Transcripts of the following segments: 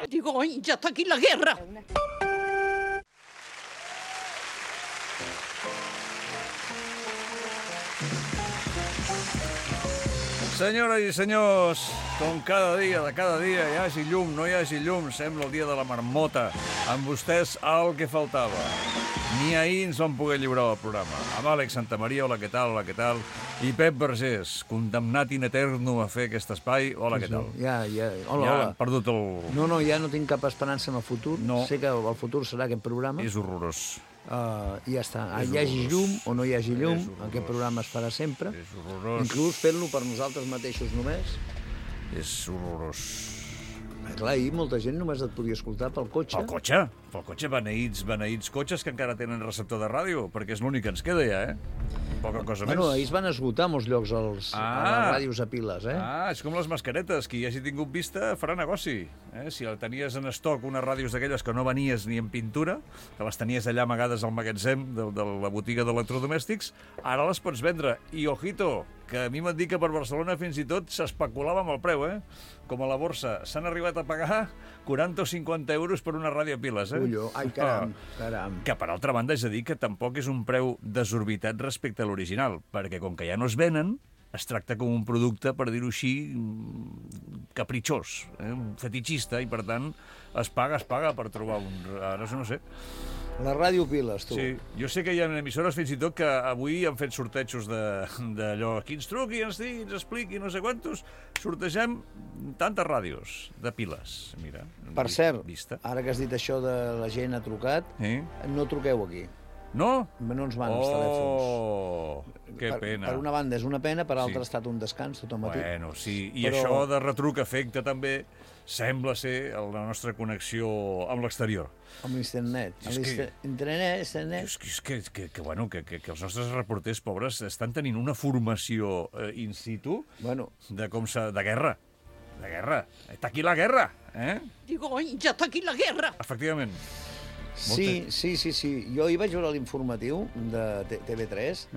Digo, ya está aquí la guerra. Senyores i senyors, com cada dia, de cada dia, hi hagi llum, no hi hagi llum, sembla el dia de la marmota. Amb vostès el que faltava. Ni ahir ens vam poder lliurar el programa. Amb Àlex Santamaria, hola, què tal, hola, què tal? I Pep Vergés, condemnat in eterno a fer aquest espai, hola, què tal? Ja, hola, Ja hola. hem perdut el... No, ja no tinc cap esperança en el futur. No. Sé que el futur serà aquest programa. És horrorós. I ja està. És Hi hagi horrorós. llum o no hi hagi llum, És horrorós. aquest programa es farà sempre. És horrorós. Inclús fent-lo per nosaltres mateixos només. És horrorós. Clar, ahir molta gent només et podia escoltar pel cotxe. Pel cotxe, beneïts cotxes que encara tenen receptor de ràdio, perquè és l'únic que ens queda ja, Poca cosa més. Ahir es van esgotar molts llocs a les ràdios a piles, És com les mascaretes. Qui hi hagi tingut vista farà negoci. Si tenies en estoc unes ràdios d'aquelles que no venies ni en pintura, que les tenies allà amagades al magatzem de la botiga d'electrodomèstics, ara les pots vendre. I ojito, que a mi m'han dit que per Barcelona fins i tot s'especulava amb el preu, Com a la borsa. S'han arribat a pagar 40 o 50 euros per una ràdio a piles, Ullo, ai, caram. Que, per altra banda, és a dir que tampoc és un preu desorbitat respecte a l'original, perquè com que ja no es venen, es tracta com un producte, per dir-ho així, capritxós, un fetitxista, i per tant es paga per trobar un... Ara no sé. La ràdio piles, tu. Sí, jo sé que hi ha emissores fins i tot que avui han fet sortejos d'allò, qui ens truqui, ens digui, ens expliqui, no sé quantos, sortegem tantes ràdios de piles, mira. Per cert, vista. Ara que has dit això de la gent ha trucat, no truqueu aquí. No? No ens van els telèfons. Oh, que pena. Per una banda és una pena, per l'altra ha estat un descans tot el matí. Bueno, sí, i això de retruc afecta també, sembla ser, la nostra connexió amb l'exterior. Amb l'internet. Internet. És que els nostres reporters pobres estan tenint una formació in situ de guerra. De guerra. Està aquí la guerra, Digo, ya está aquí la guerra. Efectivament. Sí. Jo ahir vaig veure l'informatiu de TV3.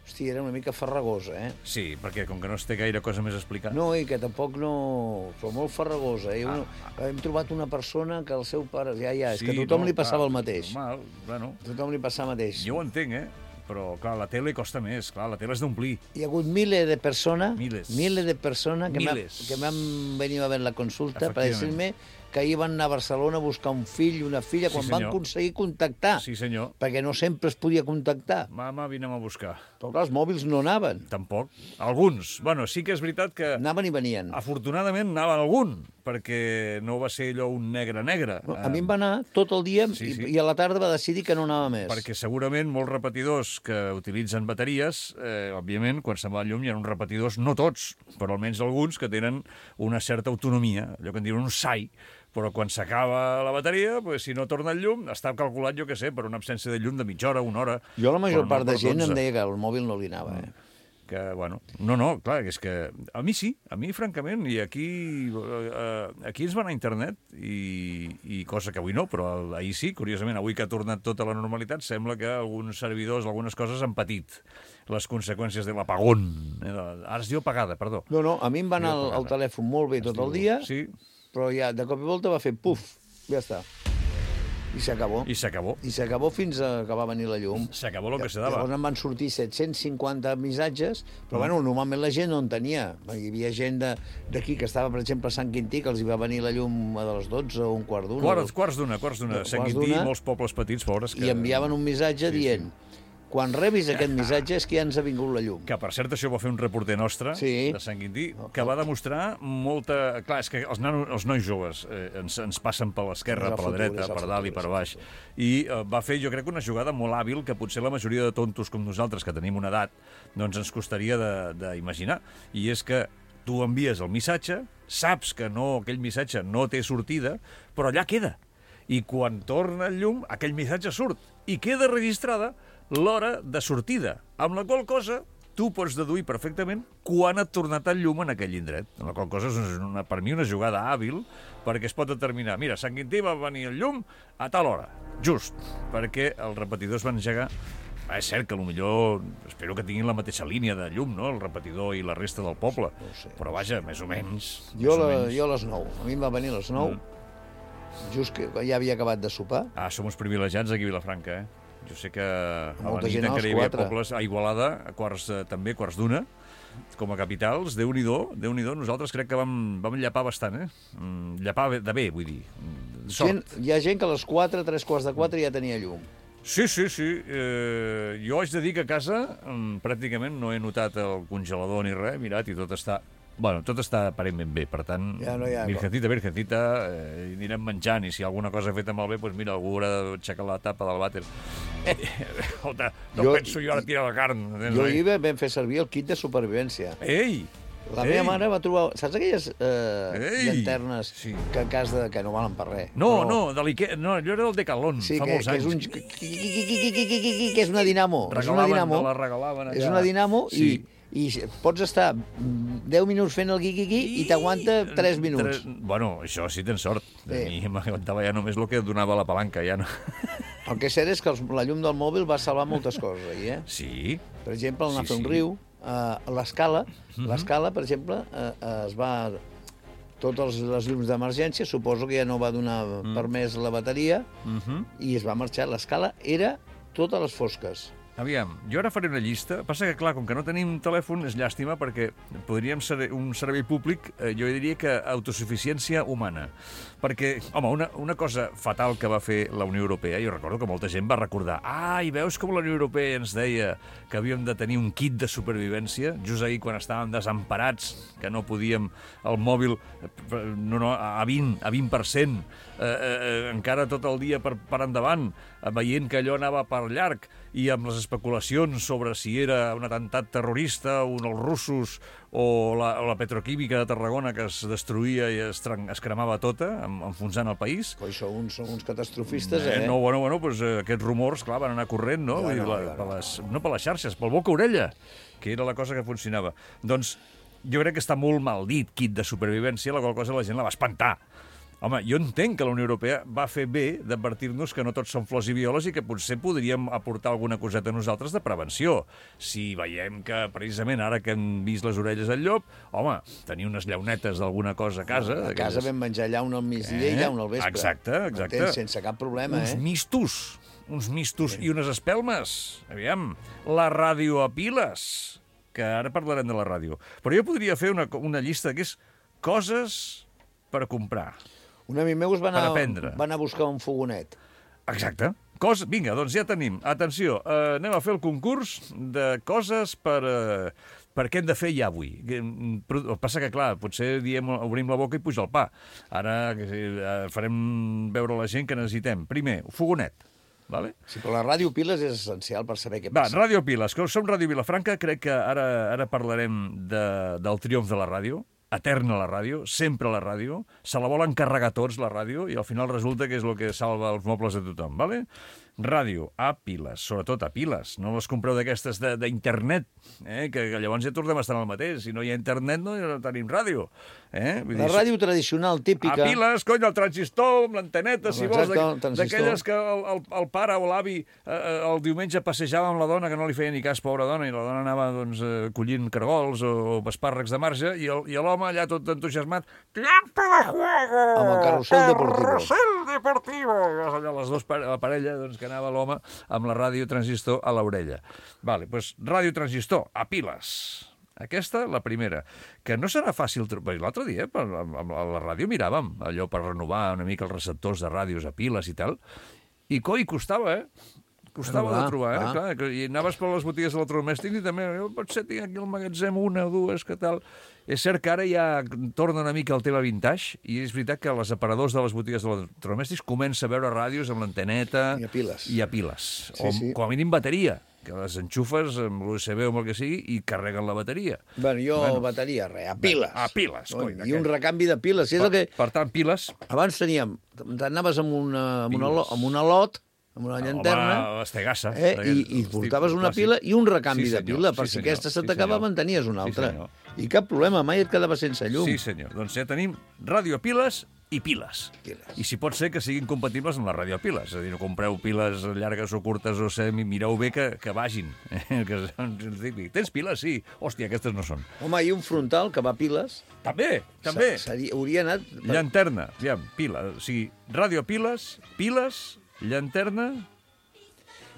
Hosti, era una mica farragós, Sí, perquè com que no es té gaire cosa més a explicar. No, i que tampoc no... Però molt farragosa. Hem trobat una persona que el seu pare... És que a tothom li passava el mateix. Normal, bueno. A tothom li passava el mateix. Jo ho entenc, però, clar, la tele costa més. Clar, la tele és d'omplir. Hi ha hagut miles de persones Miles. que m'han venit a veure la consulta per dir-me que ahir van anar a Barcelona a buscar un fill i una filla quan van aconseguir contactar. Sí, senyor. Perquè no sempre es podia contactar. Mama, vinem a buscar. Però clar, els mòbils no anaven. Tampoc. Alguns. Bueno, sí que és veritat que... Anaven i venien. Afortunadament anaven algun, perquè no va ser allò un negre. A mi em va anar tot el dia i a la tarda va decidir que no anava més. Perquè segurament molts repetidors que utilitzen bateries, òbviament, quan se'n va el llum hi ha uns repetidors, no tots, però almenys alguns que tenen una certa autonomia, allò que en diuen un SAI, però quan s'acaba la bateria, si no torna el llum, està calculat, jo què sé, per una absència de llum de mitja hora, una hora... Jo la major part de gent em deia que el mòbil no li anava, Que, bueno, no, clar, és que... A mi sí, a mi, francament, i aquí ens va anar a internet, i cosa que avui no, però ahir sí, curiosament, avui que ha tornat tota la normalitat, sembla que alguns servidors, algunes coses han patit les conseqüències de l'apagón. Ara es diu apagada, perdó. No, a mi em va anar el telèfon molt bé tot el dia, però ja de cop i volta va fer puf, ja està. I s'acabó. I s'acabó fins que va venir la llum. S'acabó el que se dava. Llavors en van sortir 750 missatges, però bueno, normalment la gent no en tenia. Hi havia gent d'aquí que estava, per exemple, a Sant Quintí, que els hi va venir la llum a les 12 o un quart d'una. Quarts d'una. Sant Quintí, molts pobles petits, pobres. I enviaven un missatge dient... Quan rebis aquest missatge és que ja ens ha vingut la llum. Que, per cert, això ho va fer un reporter nostre de Sant Quintí, que va demostrar molta... Clar, és que els nois joves ens passen per l'esquerra, per la dreta, per dalt i per baix. I va fer, jo crec, una jugada molt hàbil que potser la majoria de tontos com nosaltres, que tenim una edat, doncs ens costaria d'imaginar. I és que tu envies el missatge, saps que aquell missatge no té sortida, però allà queda. I quan torna el llum, aquell missatge surt. I queda registrada l'hora de sortida, amb la qual cosa tu pots deduir perfectament quan ha tornat el llum en aquell indret. Amb la qual cosa és per mi una jugada hàbil perquè es pot determinar, mira, a Sant Quintí va venir el llum a tal hora, just, perquè els repetidors van engegar. És cert que potser espero que tinguin la mateixa línia de llum, no?, el repetidor i la resta del poble, però vaja, més o menys. Jo a les 9, a mi em va venir a les 9, just que ja havia acabat de sopar. Som uns privilegiats aquí a Vilafranca, Jo sé que a la Molta nit gent encara hi als havia 4. pobles, a Igualada, també, quarts d'una, com a capitals, Déu-n'hi-do, nosaltres crec que vam llapar bastant, Llapar de bé, vull dir. Sort. Hi ha gent que a les 4, 3:45 ja tenia llum. Sí. Jo haig de dir que a casa pràcticament no he notat el congelador ni res, mirat, i tot està... Bueno, tot està aparentment bé, per tant, ja no hi ha virgencita, anirem menjant, i si alguna cosa feta malbé, doncs mira, algú haurà d'aixecar la tapa del vàter. Penso jo ara tirar la carn. Jo ahir vam fer servir el kit de supervivència. Ei! La meva mare va trobar... Saps aquelles llanternes que no valen per res? No, allò era del Decathlon, fa molts anys. Que és una dinamo. La regalaven allà. És una dinamo i pots estar 10 minuts fent el guiqui i t'aguanta 3 minuts. Bueno, això sí tens sort. A mi m'aguantava ja només el que donava la palanca, ja no. El que és cert és que la llum del mòbil va salvar moltes coses ahir, Sí. Per exemple, anar a fer un riu, l'escala, per exemple, es va... Totes les llums d'emergència, suposo que ja no va donar permès la bateria, i es va marxar. L'escala era totes les fosques. Aviam, jo ara faré una llista. Passa que, clar, com que no tenim telèfon, és llàstima, perquè podríem ser un servei públic, jo diria que autosuficiència humana. Perquè, home, una cosa fatal que va fer la Unió Europea, jo recordo que molta gent va recordar i veus com la Unió Europea ens deia que havíem de tenir un kit de supervivència, just ahir quan estàvem desemparats, que no podíem el mòbil a 20%, encara tot el dia per endavant, veient que allò anava per llarg, i amb les especulacions sobre si era un atemptat terrorista, els russos o la petroquímica de Tarragona que es destruïa i es cremava tota, enfonsant el país. Són uns catastrofistes, Bueno, doncs aquests rumors, clar, van anar corrent, no? No per les xarxes, pel boca-orella, que era la cosa que funcionava. Doncs jo crec que està molt mal dit, kit de supervivència, la qual cosa la gent la va espantar. Home, jo entenc que la Unió Europea va fer bé d'advertir-nos que no tots són flors i violes i que potser podríem aportar alguna coseta a nosaltres de prevenció. Si veiem que, precisament, ara que hem vist les orelles al llop, home, tenir unes llaunetes d'alguna cosa a casa... A casa vam menjar llauna al migdia i llauna al vespre. Exacte. Sense cap problema, Uns mistos i unes espelmes. Aviam, la ràdio a piles, que ara parlarem de la ràdio. Però jo podria fer una llista que és coses per comprar. Un amic meu va anar a buscar un fogonet. Exacte. Vinga, doncs ja tenim. Atenció, anem a fer el concurs de coses per què hem de fer ja avui. El que passa que, clar, potser obrim la boca i puja el pa. Ara farem veure a la gent que necessitem. Primer, fogonet. Vale? Sí, però la Ràdio Piles és essencial per saber què passa. Ràdio Piles, que som Ràdio Vilafranca, crec que ara parlarem del triomf de la ràdio. Eterna la ràdio, sempre la ràdio, se la volen carregar tots, la ràdio, i al final resulta que és el que salva els mobles de tothom, ¿vale? Ràdio, a piles, sobretot a piles. No les compreu d'aquestes d'internet, que llavors ja tornem a estar en el mateix. Si no hi ha internet, no tenim ràdio. La ràdio tradicional, típica... A piles, cony, el transistor, amb l'anteneta, si vols, d'aquelles que el pare o l'avi el diumenge passejava amb la dona, que no li feia ni cas, pobra dona, i la dona anava collint cargols o espàrrecs de marge, i l'home allà tot entusiasmat, tiempo de juego! Amb el carrusel deportivo. Carrusel deportivo! Allà la parella, doncs, que anava l'home amb la ràdio transistor a l'orella. Vale, doncs ràdio transistor, a piles. Aquesta, la primera. Que no serà fàcil... L'altre dia, a la ràdio miràvem allò per renovar una mica els receptors de ràdios a piles i tal, i costava, Costava de trobar, clar, i anaves per les botigues d'electrodomèstics i també, potser tinc aquí al magatzem una o dues, que tal... És cert que ara ja torna una mica el tema vintage, i és veritat que els aparadors de les botigues d'electrodomèstics comença a veure ràdios amb l'anteneta... I a piles. Sí. Com a mínim bateria, que les enxufes amb l'USB o amb el que sigui i carreguen la bateria. Bateria, a piles. A piles, coi. I un recanvi de piles. Per tant, piles... Abans anaves amb una lot, amb una llanterna, home, estegassa, i portaves una pila i un recanvi de pila, per si aquesta se t'acabava en tenies una altra. I cap problema, mai et quedava sense llum. Sí, senyor. Doncs ja tenim ràdio a piles i piles. I si pot ser que siguin compatibles amb la radiopiles. És a dir, no compreu piles llargues o curtes o mireu bé que vagin. Tens piles? Sí. Hòstia, aquestes no són. Home, i un frontal que va a piles. També. Hauria anat... Llanterna, aviam, pila. O sigui, radiopiles, piles, llanterna...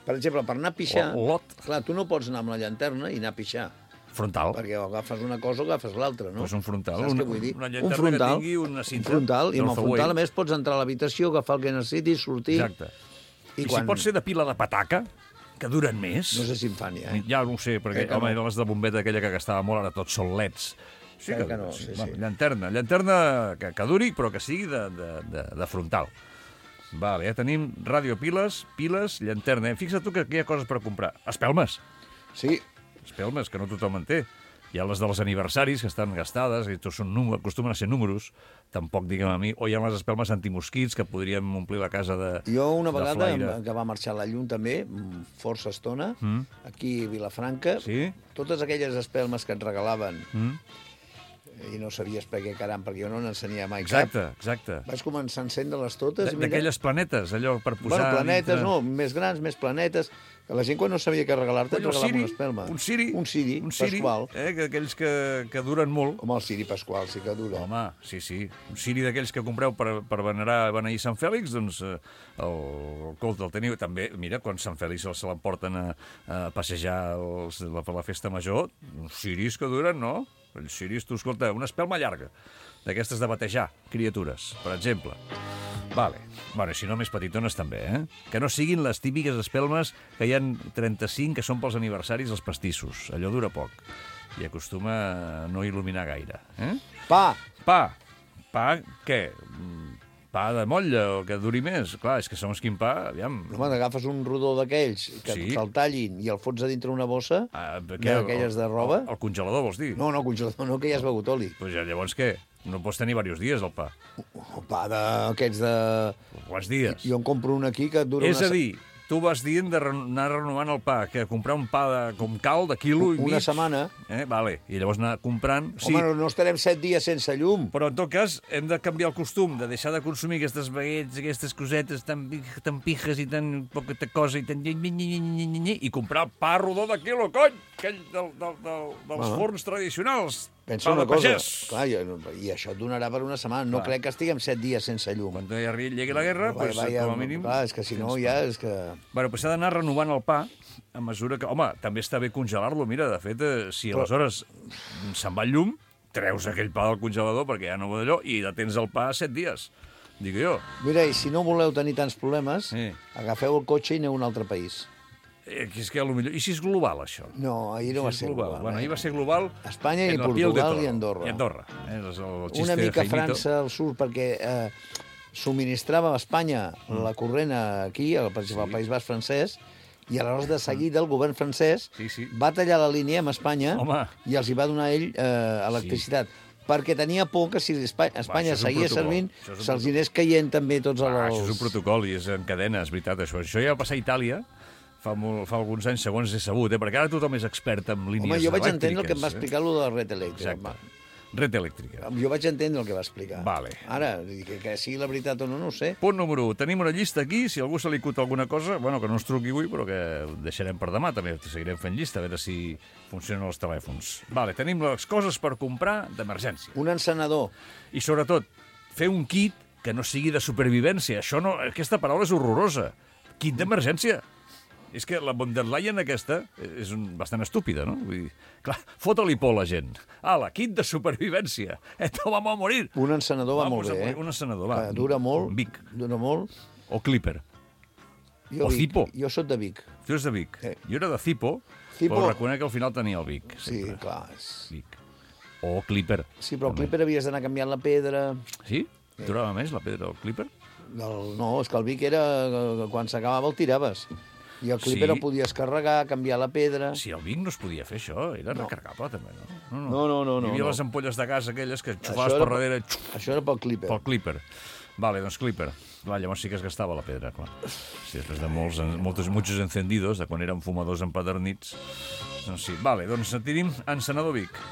Per exemple, per anar a pixar... Lot. Clar, tu no pots anar amb la llanterna i anar a pixar. Frontal. Perquè o agafes una cosa o agafes l'altra, no? Pues un frontal. Saps què vull dir? Una llanterna que tingui una cinta. Un frontal, i amb el frontal, a més, pots entrar a l'habitació, agafar el que necessitis, sortir... Exacte. I si pot ser de pila de pataca, que duren més... No sé si en fan, ja. Ja no ho sé, perquè, home, eren les de bombeta aquella que gastava molt, ara tots són leds. Sí que no, sí. Llanterna que duri, però que sigui de frontal. Vale, ja tenim radiopiles, piles, llanterna. Fixa't tu que hi ha coses per comprar. Espelmes. Sí. Espelmes, que no tothom en té. Hi ha les dels aniversaris, que estan gastades, i tots acostumen a ser números, tampoc, diguem a mi, o hi ha les espelmes antimosquits, que podríem omplir la casa de flaire. Jo una vegada, que va marxar a la llum també, força estona, aquí a Vilafranca, totes aquelles espelmes que et regalaven, i no sabies per què, caram, perquè jo no n'ensenia mai cap. Exacte. Vaig començar a encendre-les totes. D'aquelles planetes, allò per posar... Bueno, planetes, no, més grans, més planetes... La gent, quan no sabia què regalar-te, et regalava una espelma. Un ciri pasqual. Aquells que duren molt. Home, el ciri pasqual sí que dura. Home, sí. Un ciri d'aquells que compreu per beneir Sant Fèlix, doncs el teniu. També, mira, quan Sant Fèlix se l'emporten a passejar per la festa major, uns ciris que duren, no? Els ciris, tu, escolta, una espelma llarga, d'aquestes de batejar criatures, per exemple. Vale. Bueno, si no, més petitones també, Que no siguin les típiques espelmes que hi ha 35 que són pels aniversaris dels pastissos. Allò dura poc i acostuma a no il·luminar gaire. Pa, què? Pa de motlla o que duri més? Clar, és que segons quin pa, aviam... Home, agafes un rodó d'aquells que te'l tallin i el fots a dintre una bossa d'aquelles de roba... El congelador, vols dir? No, congelador no, que ja has begut oli. Pues ja, llavors què? No pots tenir diversos dies, el pa. El pa d'aquests de... Quants dies? Jo en compro un aquí que dura... És a dir, tu vas dient d'anar renovant el pa, que comprar un pa com cal, de quilo i mig... Una setmana. Vale, i llavors anar comprant... Home, no estarem 7 dies sense llum. Però, en tot cas, hem de canviar el costum, de deixar de consumir aquestes baguettes, aquestes cosetes tan pijes i tan poca cosa i tan... i comprar pa rodó de quilo, cony! Aquell dels forns tradicionals. Pensa una cosa, clar, i això et donarà per una setmana. No crec que estiguem 7 dies sense llum. Quan llegui la guerra, com a mínim... Clar, és que si no ja és que... Bueno, pues s'ha d'anar renovant el pa a mesura que... Home, també està bé congelar-lo. Mira, de fet, si aleshores se'n va el llum, treus aquell pa del congelador perquè ja no va d'allò i detens el pa 7 dies, dic jo. Mira, i si no voleu tenir tants problemes, agafeu el cotxe i aneu a un altre país. És que potser... I si és global, això? No, ahir no va ser global. Bueno, ahir va ser global... Espanya i Portugal i Andorra. I Andorra. Una mica França al sud, perquè subministrava a Espanya la corrent aquí, per exemple, al País Basc francès, i aleshores de seguida el govern francès va tallar la línia amb Espanya i els hi va donar ell electricitat. Perquè tenia por que si Espanya seguia servint, se'ls anés caient també tots els... Això és un protocol i és en cadena, és veritat, això. Això ja va passar a Itàlia, fa alguns anys, segons he sabut, perquè ara tothom és expert en línies elèctriques. Home, jo vaig entendre el que em va explicar allò de la red elèctrica. Exacte. Red elèctrica. Jo vaig entendre el que va explicar. Vale. Ara, que sigui la veritat o no, no ho sé. Punt número 1. Tenim una llista aquí, si algú se li acut alguna cosa, bueno, que no ens truqui avui, però que deixarem per demà, també seguirem fent llista, a veure si funcionen els telèfons. Vale, tenim les coses per comprar d'emergència. Un encenedor. I sobretot, fer un kit que no sigui de supervivència. Això no, aquesta paraula és horrorosa. Kit d'emergència. És que la von der Leyen aquesta és bastant estúpida, no? Vull dir, clar, fota-li por a la gent. Ala, kit de supervivència. Esto vamos a morir. Un encenedor va molt bé, Un encenedor, va. Dura molt. Vic. Dura molt. O Clipper. O Zippo. Jo soc de Vic. Tu ets de Vic. Jo era de Zippo, però reconec que al final tenia el Vic. Sí, clar. Vic. O Clipper. Sí, però el Clipper havies d'anar canviant la pedra. Sí? Durava més la pedra del Clipper? No, és que el Vic era... Quan s'acabava el tiraves. I el Clipper el podies carregar, canviar la pedra... Sí, el Vic no es podia fer això, era recarregable també, no? No. Hi havia les ampolles de gas aquelles que xufaves per darrere... Això era pel Clipper. Pel Clipper. Vale, doncs Clipper. Clar, llavors sí que es gastava la pedra, clar. Sí, després de muchos encendidos, de quan érem fumadors empadernits... Doncs sí, vale, doncs tenim encenedor Vic.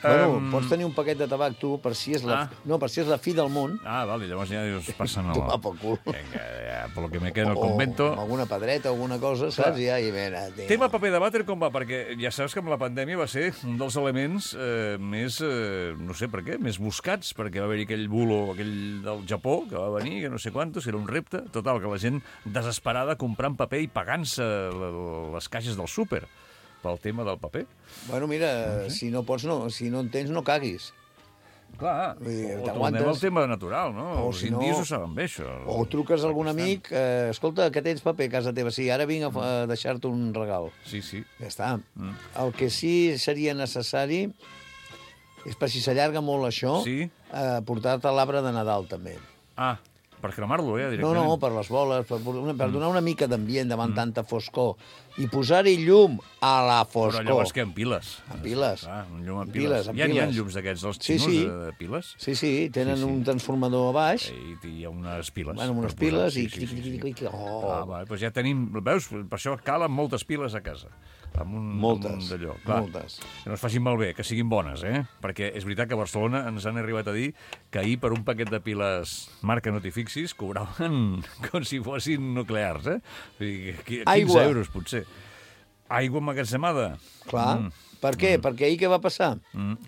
Bueno, pots tenir un paquet de tabac, tu, per si és la... No, per si és la fi del món. Vale, llavors ja dius, passen a Tomar pel cul. Vinga, ja, per lo que me queda en el convento... O alguna pedreta, alguna cosa, saps? Ja, i mira, Tema paper de vàter com va? Perquè ja saps que amb la pandèmia va ser un dels elements més, no sé per què, més buscats, perquè va haver-hi aquell bulo, aquell del Japó, que va venir, que no sé quantos, que era un repte. Total, que la gent desesperada comprant paper i pagant-se les caixes del súper pel tema del paper. Bueno, mira, si no pots, no. Si no en tens, no caguis. Clar, o tornem al tema natural, no? Els indis ho saben bé, això. O truques a algun amic, escolta, que tens paper a casa teva? Sí, ara vinc a deixar-te un regal. Sí, sí. Ja està. El que sí seria necessari és, per si s'allarga molt això, portar-te l'arbre de Nadal, també. Per cremar-lo, directament. No, per les boles, per donar una mica d'ambient davant tanta foscor i posar-hi llum a la foscor. Però llavors què, en piles? En piles. Un llum en piles. Hi ha llums d'aquests, els xinos de piles? Sí, tenen un transformador a baix. I hi ha unes piles. Bueno, unes piles i... Doncs ja tenim... Veus? Per això calen moltes piles a casa. Moltes. Que no es facin malbé, que siguin bones, Perquè és veritat que a Barcelona ens han arribat a dir que ahir per un paquet de piles marca no t'hi fixis cobraven com si fossin nuclears, 15 euros, potser. Aigua emmagatzemada. Clar. Per què? Perquè ahir què va passar?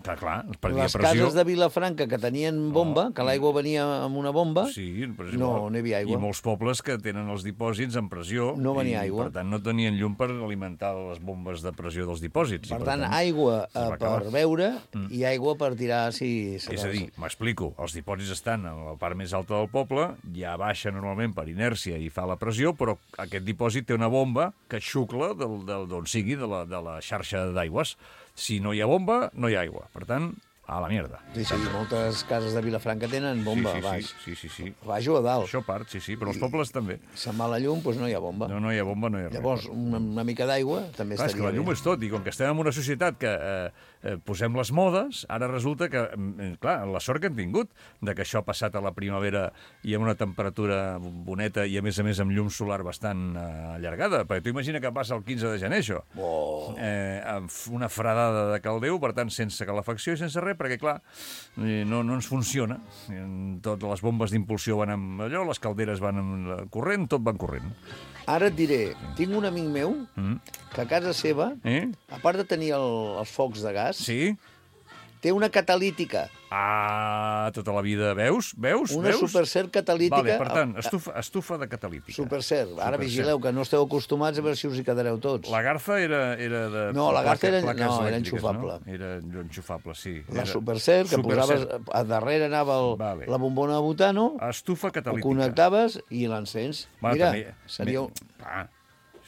Clar, perdia pressió. Les cases de Vilafranca que tenien bomba, que l'aigua venia amb una bomba, no hi havia aigua. I molts pobles que tenen els dipòsits en pressió. No venia aigua. Per tant, no tenien llum per alimentar les bombes de pressió dels dipòsits. Per tant, aigua per beure i aigua per tirar si... És a dir, m'explico, els dipòsits estan a la part més alta del poble, ja baixa normalment per inèrcia i fa la pressió, però aquest dipòsit té una bomba que xucla d'on sigui, de la xarxa d'aigües. Si no hi ha bomba, no hi ha aigua. Per tant, a la mierda. Sí, moltes cases de Vilafranca tenen bomba a baix. Sí. A baix o a dalt. Això part, sí, però els pobles també. Se'n va la llum, doncs no hi ha bomba. No hi ha bomba, no hi ha res. Llavors, una mica d'aigua també estaria bé. És que la llum és tot, i com que estem en una societat que posem les modes, ara resulta que, clar, la sort que hem tingut de que això ha passat a la primavera i amb una temperatura boneta i, a més amb llum solar bastant allargada. Perquè tu imagina que passa el 15 de gener, això. Amb una fredada de caldeu, per tant, sense calefacció i sense res, perquè, clar, no ens funciona. Totes les bombes d'impulsió van amb allò, les calderes van amb corrent, tot van corrent. Ara et diré, tinc un amic meu que a casa seva, a part de tenir els focs de gas, té una catalítica. Tota la vida. Veus? Una Supercert catalítica. Vale, per tant, estufa de catalítica. Supercert. Ara vigileu, que no esteu acostumats a veure si us hi quedareu tots. La Garza era de... No, la Garza era enxufable. Era enxufable, sí. La Supercert, que posaves... A darrere anava la bombona de butano. Estufa catalítica. Ho connectaves i l'encens. Mira, seria...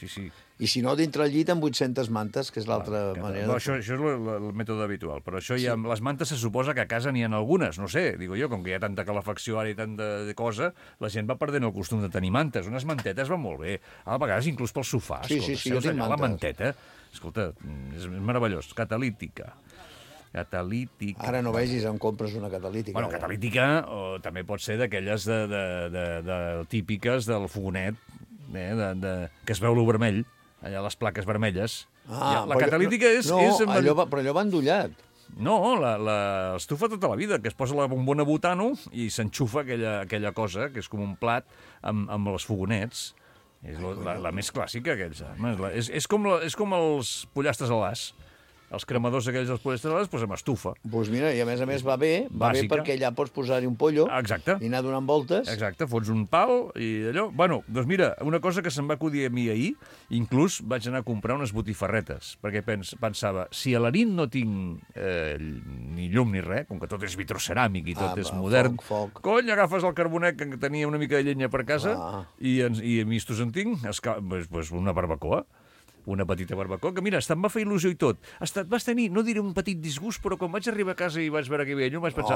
Sí. I si no, dintre el llit amb 800 mantes, que és l'altra manera. Això és el mètode habitual, però això ja... Les mantes se suposa que a casa n'hi ha algunes, no sé, digo jo, com que hi ha tanta calefacció ara i tanta cosa, la gent va perdent el costum de tenir mantes. Unes mantetes van molt bé. A vegades inclús pel sofà. Sí, jo tinc mantes. La manteta, escolta, és meravellós. Catalítica. Ara no vegis on compres una catalítica. Bueno, catalítica també pot ser d'aquelles típiques del fogonet, que es veu lo vermell, allà les plaques vermelles. La catalítica és... Però allò va endollat. No, l'estufa tota la vida, que es posa la bombona butano i s'enxufa aquella cosa, que és com un plat amb els fogonets. És la més clàssica, aquells. És com els pollastres a l'as. Els cremadors aquells dels poliesterolats, doncs amb estufa. Doncs mira, i a més va bé perquè allà pots posar-hi un pollo i anar donant voltes. Exacte, fots un pal i allò... Bueno, doncs mira, una cosa que se'm va acudir a mi ahir, inclús vaig anar a comprar unes botifarretes, perquè pensava, si a la nit no tinc ni llum ni res, com que tot és vitroceràmic i tot és modern, cony, agafes el carbonet que tenia una mica de llenya per casa i a mistos en tinc, una barbacoa. Una petita barbacoa, que mira, em va fer il·lusió i tot. Vas tenir, no diré un petit disgust, però quan vaig arribar a casa i vaig veure que hi havia llum, vaig pensar,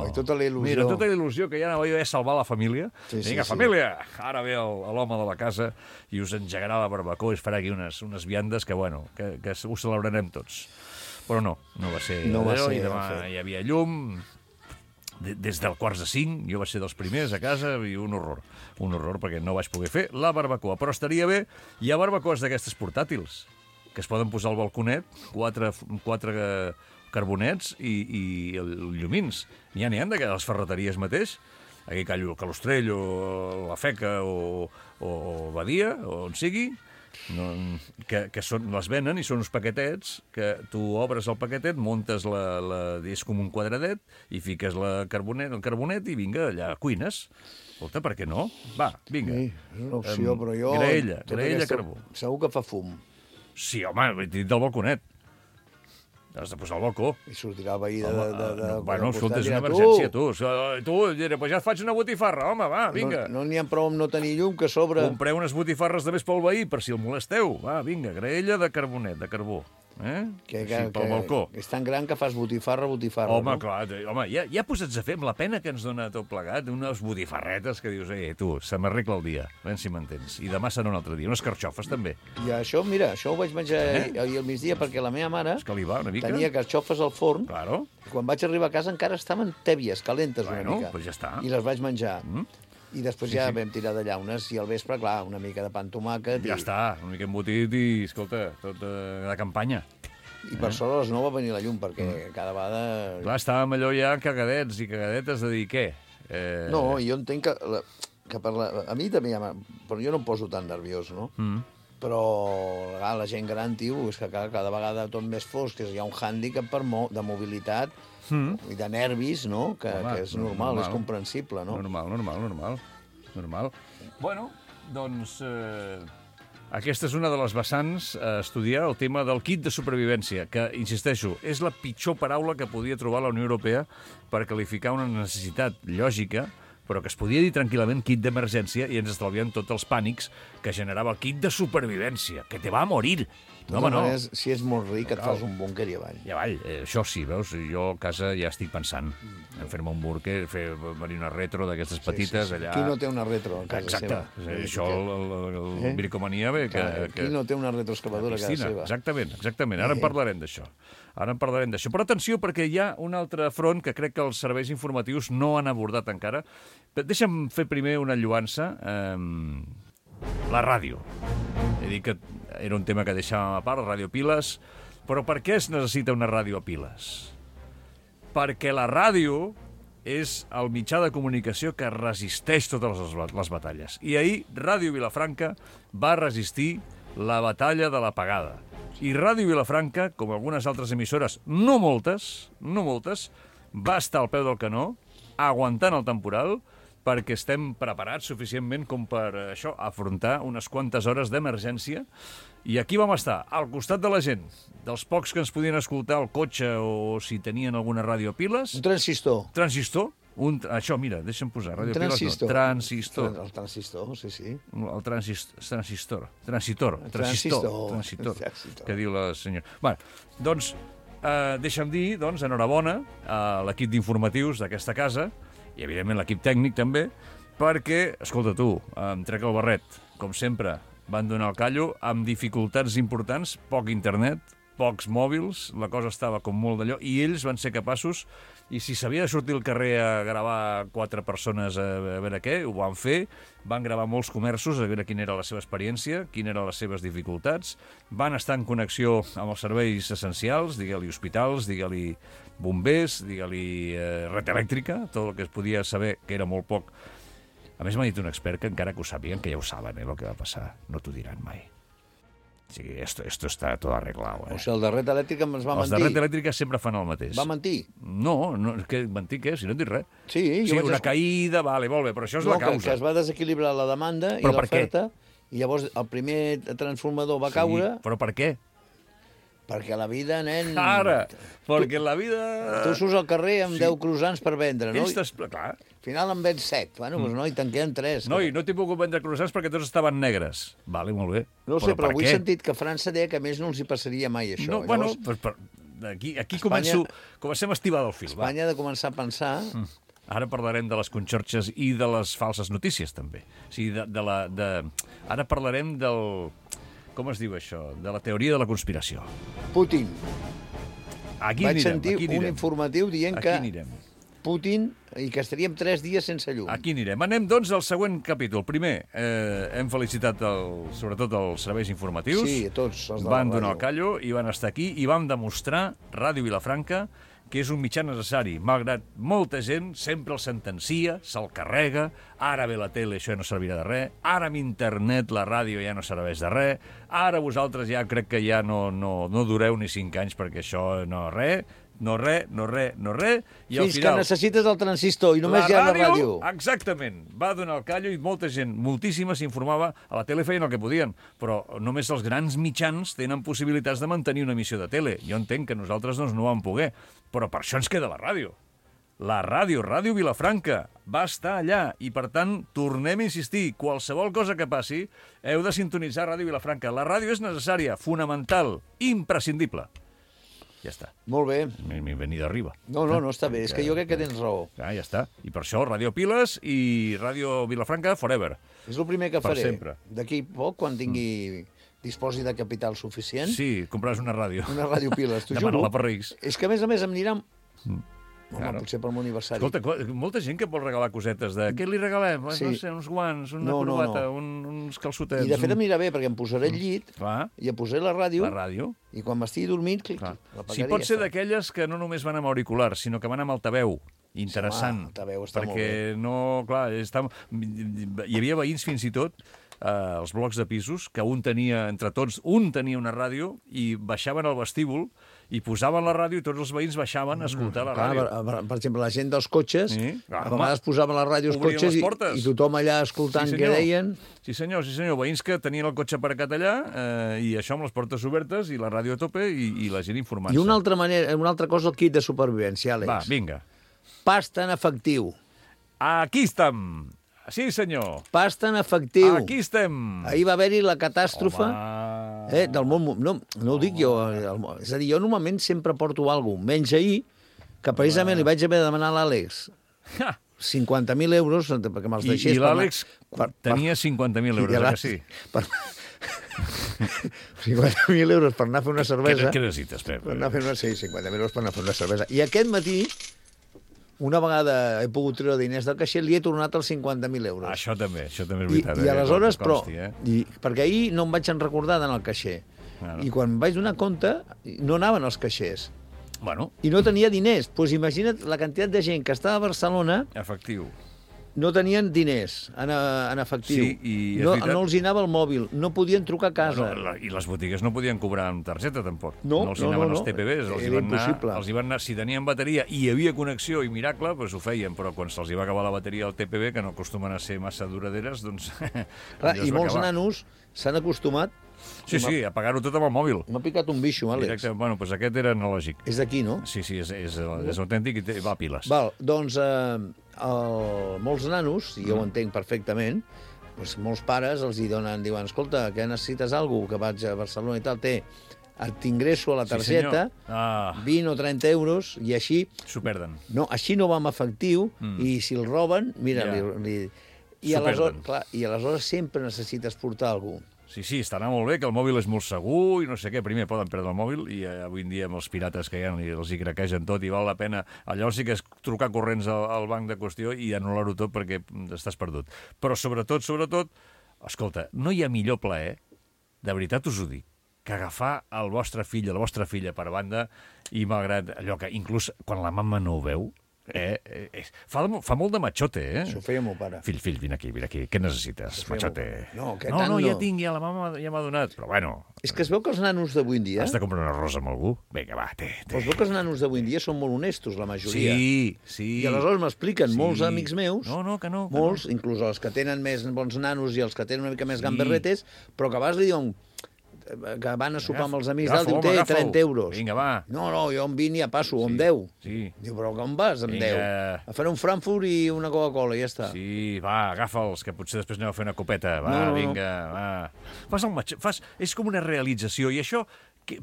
i tota la il·lusió. Mira, tota la il·lusió, que ja anava jo a salvar la família. Vinga, família, ara ve l'home de la casa i us engegarà la barbacoa i es farà aquí unes viandes que, bueno, que ho celebrarem tots. Però no va ser. I demà hi havia llum... Des del 4:45, jo vaig ser dels primers a casa i un horror perquè no vaig poder fer la barbacoa, però estaria bé. Hi ha barbacoes d'aquestes portàtils que es poden posar al balconet, quatre carbonets i llumins. N'hi ha de les ferreteries mateix, aquí Calostrell o La Feca o Badia, o on sigui, que les venen i són uns paquetets que tu obres el paquetet, montes és com un quadradet i fiques el carbonet i vinga, allà cuines. Escolta, per què no? Va, vinga. Sí, és una opció, però jo... Graella, carbó. Segur que fa fum. Sí, home, he dit del balconet. Has de posar al balcó. I sortirà el veí de... Bueno, escolta, és una emergència, tu. Tu, pues ja et faig una botifarra, home, va, vinga. No n'hi ha prou amb no tenir llum, que a sobre... Compreu unes botifarres de més pel veí, per si el molesteu. Va, vinga, graella de carbonet, de carbó. Pel balcó. És tan gran que fas botifarra, home, no? clar, ja posats a fer amb la pena que ens dona tot plegat, unes botifarretes que dius, tu, se m'arregla el dia, si m'entens. I demà serà un altre dia, unes carxofes també. I això, mira, això ho vaig menjar ahir al migdia perquè la meva mare tenia carxofes al forn. Claro. I quan vaig arribar a casa encara estaven tèbies, calentes una mica. Bueno, pues ja està. I les vaig menjar. I després ja vam tirar de llaunes i al vespre, clar, una mica de pa amb tomàquet. Ja està, una mica embotit i, escolta, tot de campanya. I per sort a les 9 va venir la llum, perquè cada vegada... Clar, estàvem allò ja cagadets i cagadetes de dir què? No, jo entenc que a mi també però jo no em poso tan nerviós, no? Però la gent gran, tio, és que cada vegada tot més fosc, hi ha un hàndicap de mobilitat i de nervis, no? Que és normal, és comprensible, no? Normal. Bueno, doncs... Aquesta és una de les vessants a estudiar, el tema del kit de supervivència, que, insisteixo, és la pitjor paraula que podia trobar la Unió Europea per qualificar una necessitat lògica, però que es podia dir tranquil·lament kit d'emergència i ens estalviem tots els pànics que generava el kit de supervivència, que te va a morir. No, home, no. Si és molt ric, et fas un búnquer i avall. I avall. Això sí, veus? Jo a casa ja estic pensant en fer-me un búnquer, venir una retro d'aquestes petites allà... Qui no té una retro a casa seva? Exacte. Això, el bricomania... Qui no té una retroexcavadora a casa seva? Exactament. Ara en parlarem d'això. Però atenció, perquè hi ha un altre front que crec que els serveis informatius no han abordat encara. Deixa'm fer primer una lloança. La ràdio. He dit que era un tema que deixàvem a part, ràdio piles, però per què es necessita una ràdio a piles? Perquè la ràdio és el mitjà de comunicació que resisteix totes les batalles. I ahir Ràdio Vilafranca va resistir la batalla de l'apagada. I Ràdio Vilafranca, com algunes altres emissores, no moltes, va estar al peu del canó, aguantant el temporal, perquè estem preparats suficientment com per això afrontar unes quantes hores d'emergència. I aquí vam estar, al costat de la gent, dels pocs que ens podien escoltar al cotxe o si tenien alguna ràdio a piles. Un transistor. Això, mira, deixa'm posar. Ràdio transistor. Piles, no. El transistor, sí. El transistor, que diu la senyora. Bé, doncs, deixa'm dir, enhorabona a l'equip d'informatius d'aquesta casa, i evidentment l'equip tècnic també, perquè, escolta tu, em trec el barret, com sempre, van donar el callo, amb dificultats importants, poc internet, pocs mòbils, la cosa estava com molt d'allò, i ells van ser capaços, i si s'havia de sortir al carrer a gravar 4 persones a veure què, ho van fer, van gravar molts comerços a veure quina era la seva experiència, quines eren les seves dificultats, van estar en connexió amb els serveis essencials, digue-li hospitals, digue-li bombers, digue-li red elèctrica, tot el que es podia saber, que era molt poc. A més, m'ha dit un expert que encara que ho sàpiguen, que ja ho saben, el que va passar, no t'ho diran mai. O sigui, esto está todo arreglado. O sigui, el de red elèctrica ens va mentir. Els de red elèctrica sempre fan el mateix. Va mentir? No, mentir què? Si no et dic res. Sí, una caïda, vale, molt bé, però això és la causa. Que es va desequilibrar la demanda i l'oferta, i llavors el primer transformador va caure... Però per què? Perquè la vida, nen... Ara, perquè la vida... Tu surts al carrer amb 10 croissants per vendre, no? Clar. Al final en vens 7. Bueno, doncs noi, te'n queden 3. Noi, no t'he pogut vendre croissants perquè tots estaven negres. Vale, molt bé. No ho sé, però avui he sentit que França deia que a més no els hi passaria mai això. No, bueno, aquí comencem a estivar del fil. Espanya ha de començar a pensar... Ara parlarem de les conxorxes i de les falses notícies, també. O sigui, ara parlarem del... Com es diu això? De la teoria de la conspiració. Putin. Aquí vaig sentir un informatiu dient que Putin i que estaríem 3 dies sense llum. Aquí anirem. Anem, doncs, al següent capítol. Primer, hem felicitat sobretot els serveis informatius. Sí, tots els de la Van donar ràdio. el callo i van estar aquí i vam demostrar, Ràdio Vilafranca, que és un mitjà necessari, malgrat molta gent sempre el sentencia, se'l carrega, ara ve la tele, això ja no servirà de res, ara amb internet la ràdio ja no serveix de res, ara vosaltres ja crec que ja no dureu ni 5 anys perquè això no res, no res, i al Fins final... que necessites el transistor i només hi ha la ràdio. Exactament, va donar el callo i molta gent, moltíssima, s'informava, a la tele feien el que podien, però només els grans mitjans tenen possibilitats de mantenir una emissió de tele. Jo entenc que nosaltres doncs, no vam poder, però per això ens queda la ràdio. La ràdio, Ràdio Vilafranca, va estar allà i, per tant, tornem a insistir, qualsevol cosa que passi, heu de sintonitzar Ràdio Vilafranca. La ràdio és necessària, fonamental, imprescindible. Ja està. Molt bé. M'he venit d'arriba. No, està bé. És que jo crec que tens raó. Ja està. I per això, Ràdio Piles i Ràdio Vilafranca forever. És el primer que faré. Per sempre. D'aquí poc, quan disposi de capital suficient... Sí, compraràs una ràdio. Una ràdio Piles, t'ho juro. Demana-la per Reis. És que, a més em anirà... Claro. Potser per l'aniversari. Escolta, molta gent que vol regalar cosetes de... Què li regalem? Sí. No sé, uns guants, una corbata, uns calçotets... I de fet em anirà bé, perquè em posaré el llit i em posaré la ràdio. La ràdio. I quan m'estigui dormint, la si pot ser d'aquelles que no només van amb auriculars, sinó que van amb altaveu. Interessant. Sí, altaveu està molt bé. Perquè no... Clar, hi havia veïns fins i tot els blocs de pisos, que entre tots, un tenia una ràdio i baixaven al vestíbul i posaven la ràdio i tots els veïns baixaven a escoltar la ràdio. Per exemple, la gent dels cotxes, a vegades posaven la ràdio als cotxes i tothom allà escoltant què deien. Sí, senyor. Veïns que tenien el cotxe aparcat allà i això amb les portes obertes i la ràdio a tope i la gent informant-se. I una altra cosa, el kit de supervivència, Àlex. Va, vinga. Pasta en efectiu. Aquí estem. Sí, senyor. Pasta en efectiu. Aquí estem. Ahir va haver-hi la catàstrofe del món... No ho dic jo. És a dir, jo normalment sempre porto alguna cosa. Menys ahir, que precisament li vaig haver de demanar a l'Àlex 50.000 euros perquè me'ls deixés... I l'Àlex tenia 50.000 euros, que sí? 50.000 euros per anar a fer una cervesa. Què necessites, Pep? Per anar a fer 50.000 euros per anar a fer una cervesa. I aquest matí... Una vegada he pogut treure diners del caixer, li he tornat els 50.000 euros. Això també és veritat. I aleshores, però... Perquè ahir no em vaig recordar d'anar al caixer. I quan vaig donar compte, no anaven els caixers. I no tenia diners. Doncs imagina't la quantitat de gent que estava a Barcelona... Efectiu. No tenien diners en efectiu. Sí, no els hi anava el mòbil, no podien trucar a casa. I les botigues no podien cobrar amb targeta, tampoc. No els hi anaven els TPBs, era impossible. Els hi van anar, si tenien bateria i hi havia connexió i miracle, doncs ho feien, però quan se'ls hi va acabar la bateria al TPB, que no acostumen a ser massa duraderes, doncs... I molts nanos s'han acostumat... Sí, a pagar-ho tot amb el mòbil. M'ha picat un bicho, Àlex. Doncs aquest era analògic. És d'aquí, no? Sí, és autèntic i va a piles. Doncs molts nanos, i jo ho entenc perfectament, doncs molts pares els hi diuen, escolta, que necessites alguna cosa, que vaig a Barcelona i tal, t'ingresso a la targeta, 20 o 30 euros, i així... S'ho perden. No, així no va amb efectiu, i si el roben, mira, i aleshores sempre necessites portar alguna cosa. Sí, estarà molt bé, que el mòbil és molt segur i no sé què. Primer poden perdre el mòbil i avui en dia amb els pirates que hi ha els hi craquegen tot i val la pena. Allò sí que és trucar corrents al banc de qüestió i anul·lar-ho tot perquè estàs perdut. Però sobretot, escolta, no hi ha millor plaer, de veritat us ho dic, que agafar el vostre fill o la vostra filla per banda i malgrat allò que inclús quan la mama no ho veu, fa molt de machote, Això ho feia meu pare. Fill, vine aquí, què necessites, machote? No, ja tinc, la mama ja m'ha donat, però bueno... És que es veu que els nanos d'avui en dia... Has de comprar una rosa amb algú? Vinga, va, es veu que els nanos d'avui en dia són molt honestos, la majoria. Sí. I aleshores m'expliquen molts amics meus, que no. Molts, inclús els que tenen més bons nanos i els que tenen una mica més gamberretes, però que a vegades li diuen... que van a sopar amb els amics d'alt, diu, té 30 euros. Vinga, va. No, jo amb 20 ja passo, o amb 10. Sí. Diu, però com vas amb 10? A fer un Frankfurt i una Coca-Cola, i ja està. Sí, va, agafa'ls, que potser després aneu a fer una copeta. Va, vinga, va. És com una realització, i això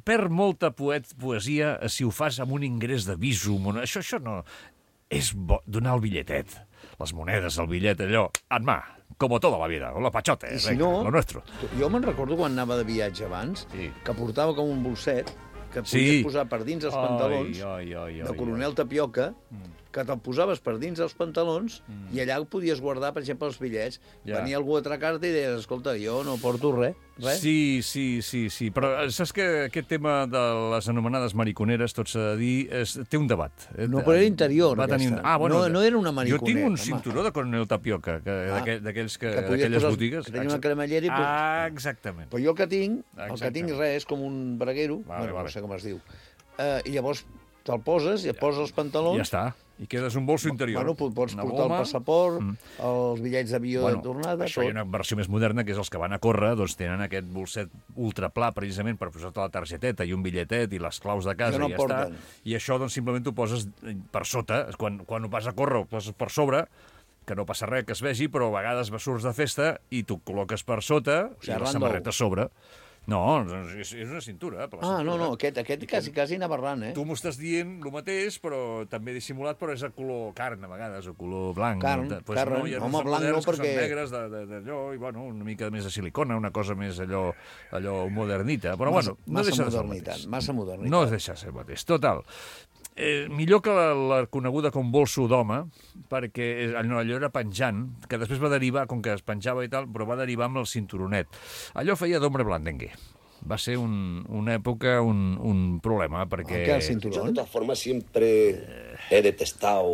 perd molta poesia si ho fas amb un ingrés de Visum. Això no... És bo donar el bitlletet, les monedes, el bitllet, allò, en mà, com toda la vida, o la pachote, si no, lo nuestro. Jo me'n recordo quan anava de viatge abans, que portava com un bolset, que podies posar per dins els pantalons, de coronel Tapioca, que te'l posaves per dins dels pantalons i allà podies guardar, per exemple, els bitllets. Venia algú a atracar-te i deies, escolta, jo no porto res. Sí, però saps que aquest tema de les anomenades mariconeres, tot s'ha de dir, té un debat. No, però era interior, aquesta. No era una mariconera. Jo tinc un cinturó de coronel tapioca, d'aquelles botigues. Que tenia una cremallera i... Exactament. Però jo el que tinc res, és com un braguero, no sé com es diu. I llavors te'l poses i et poses els pantalons... Ja està. I quedes un bolso interior. Bueno, pots portar el passaport, els bitllets d'avió de tornada... Això hi ha una versió més moderna, que és els que van a córrer, doncs tenen aquest bolset ultrapla, precisament, per posar-te la targeteta i un bitlletet i les claus de casa i ja està. I això, doncs, simplement ho poses per sota. Quan ho vas a córrer, ho poses per sobre, que no passa res que es vegi, però a vegades surts de festa i t'ho col·loques per sota i la samarreta a sobre. No, és una cintura. No, aquest quasi anava errant, Tu m'ho estàs dient el mateix, però també dissimulat, però és a color carn, a vegades, o color blanc. Carn, home, blanc no, perquè... Són negres d'allò, i bueno, una mica més de silicona, una cosa més allò modernita. Però bueno, no deixa de ser el mateix. Massa modernitat. No deixa de ser el mateix. Total. Millor que la coneguda com bolso d'home, perquè allò era penjant, que després va derivar, com que es penjava i tal, però va derivar amb el cinturonet. Allò feia d'hombre blandengue. Va ser una època un problema, perquè... ¿Qué, el cinturón? Yo, de todas formas, siempre he detestado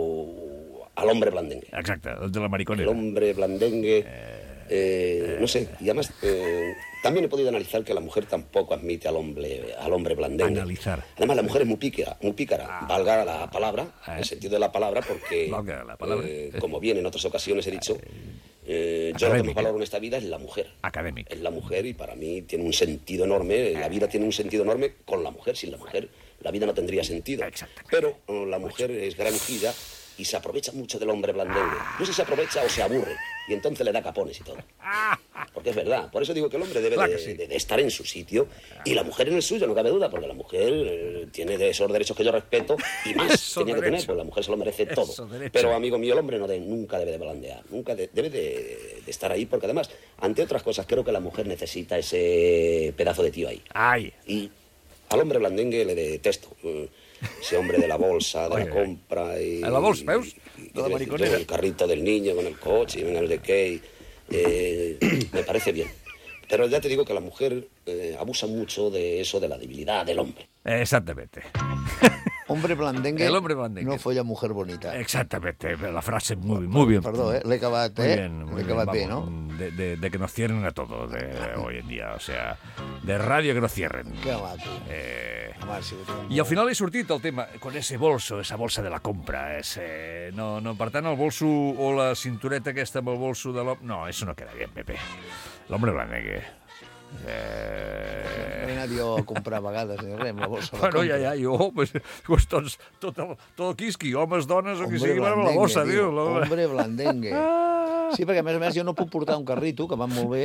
al hombre blandengue. Exacte, el de la mariconera. El hombre blandengue, no sé, y además... También he podido analizar que la mujer tampoco admite al hombre blandengue. Analizar. Además, la mujer es muy pícara, valga la palabra, el sentido de la palabra, porque, como bien en otras ocasiones he dicho, yo lo que más valoro en esta vida es la mujer. Académica. Es la mujer y para mí tiene un sentido enorme, la vida tiene un sentido enorme con la mujer. Sin la mujer la vida no tendría sentido. Pero la mujer es granujilla y se aprovecha mucho del hombre blandengue. No sé si se aprovecha o se aburre, y entonces le da capones y todo. Porque es verdad, por eso digo que el hombre debe de estar en su sitio y la mujer en el suyo, no cabe duda, porque la mujer tiene esos derechos que yo respeto y más tenía que tener, pues la mujer se lo merece todo. Pero, amigo mío, el hombre nunca debe de blandear, nunca debe de estar ahí, porque además, ante otras cosas, creo que la mujer necesita ese pedazo de tío ahí. Y al hombre blandengue le detesto. Ese hombre de la bolsa, de la compra y... ¿La bolsa, veus? De la mariconera. El carrito del niño con el coche y venga no sé qué. Me parece bien. Pero ya te digo que la mujer abusa mucho de eso, de la debilidad del hombre. Exactamente. Hombre blandengue, el hombre blandengue no folla mujer bonita. Exactamente, la frase muy bien. Perdó, l'he acabat, L'he acabat bé, ¿no? De que nos cierren a todo hoy en día, o sea, de radio que nos cierren. Que maco. I al final he sortit el tema, con ese bolso, esa bolsa de la compra. No, per tant, el bolso o la cintureta aquesta amb el bolso de l'home... No, eso no queda bien, Pepe. L'hombre blandengue. He anat jo a comprar a vegades, ni res, amb la bossa. Bueno, jo, pues tot el quisqui, homes, dones, o qui sigui, amb la bossa, tio. Hombre blandengue. Sí, perquè a més jo no puc portar un carrito, que van molt bé,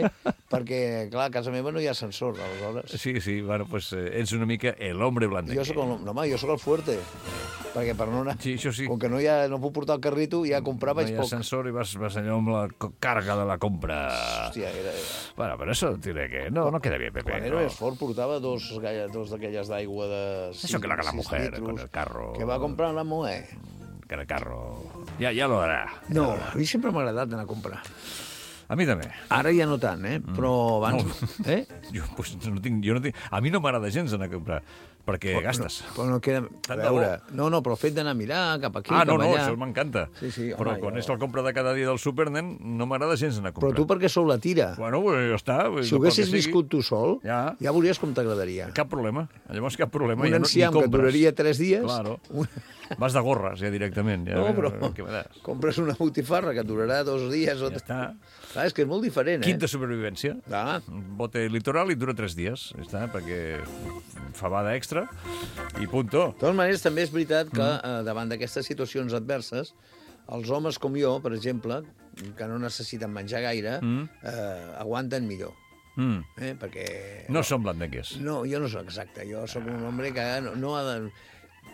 perquè, clar, a casa meva no hi ha ascensor, aleshores. Sí, bueno, pues ets una mica el hombre blandengue. Jo soc el fuerte, perquè per no anar... Sí, això sí. Com que no puc portar el carrito, ja comprar vaig poc. No hi ha ascensor i vas allò amb la càrrega de la compra. Hòstia, era... Bueno, però això diré que no queda bien, Pepe. Quan era més fort portava dos d'aquelles d'aigua de... Això que la mujer, con el carro... Que va comprar la mujer. Que el carro... Ja lo harà. No, a mi sempre m'ha agradat anar a comprar. A mi també. Ara ja no tant, però abans... No. Jo no tinc... A mi no m'agrada gens anar a comprar, perquè gastes. Però no queda... A veure, no, però el fet d'anar a mirar cap aquí, cap allà... això m'encanta. Sí, però quan és la compra de cada dia del súper, nen, no m'agrada gens anar a comprar. Però tu perquè sou la tira. Bueno, ja està. Si ho haguessis viscut tu sol, ja veuries com t'agradaria. Cap problema. Llavors cap problema. Un enciam que duraria 3 dies... Claro. Vas de gorres, ja directament. No, però compres una botifarra que durarà 2 dies o... Ja està. Clar, és que és molt diferent, Kit de supervivència. Bote litoral i dura 3 dies. Ja està, perquè fabada extra i punto. De totes maneres, també és veritat que davant d'aquestes situacions adverses, els homes com jo, per exemple, que no necessiten menjar gaire, aguanten millor. Perquè... No som blandengues. No, jo no soc exacte. Jo soc un home que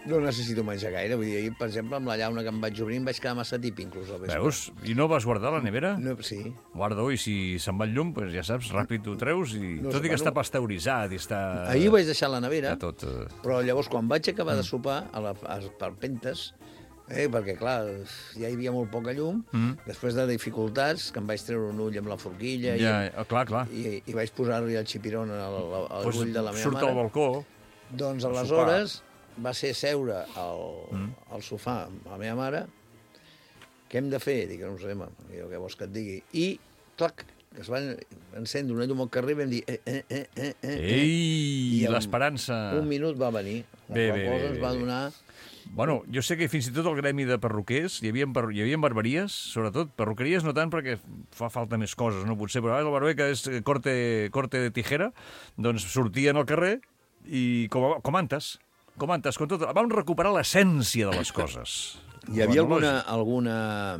no necessito menjar gaire. Vull dir, ahir, per exemple, amb la llauna que em vaig obrir em vaig quedar massa tip, inclús, al vespre. Veus? I no vas guardar la nevera? No, sí. Guarda-ho i si se'n va el llum, pues ja saps, ràpid ho treus i tot i que està pasteuritzat i està... Ahir ho vaig deixar a la nevera, tot... però llavors quan vaig acabar de sopar, a les palpentes, Perquè, clar, ja hi havia molt poca llum. Després de dificultats, que em vaig treure un ull amb la forquilla clar. i vaig posar-li el xipirón a l'ull de la meva surt mare. al balcó. Doncs aleshores va ser seure al sofà amb la meva mare. Què hem de fer? Dic, no ho sé, jo què vols que et digui? I, clac, es va encendre una llum al carrer i vam dir... Ei, l'esperança! Un minut va venir. La qual cosa ens va donar... Bueno, jo sé que fins i tot el gremi de perruquers, hi havia barberies, sobretot, perruqueries no tant perquè fa falta més coses, no potser, però el barber que és corte de tijera, doncs sortien al carrer i com antes, com tot, vam recuperar l'essència de les coses. Hi havia alguna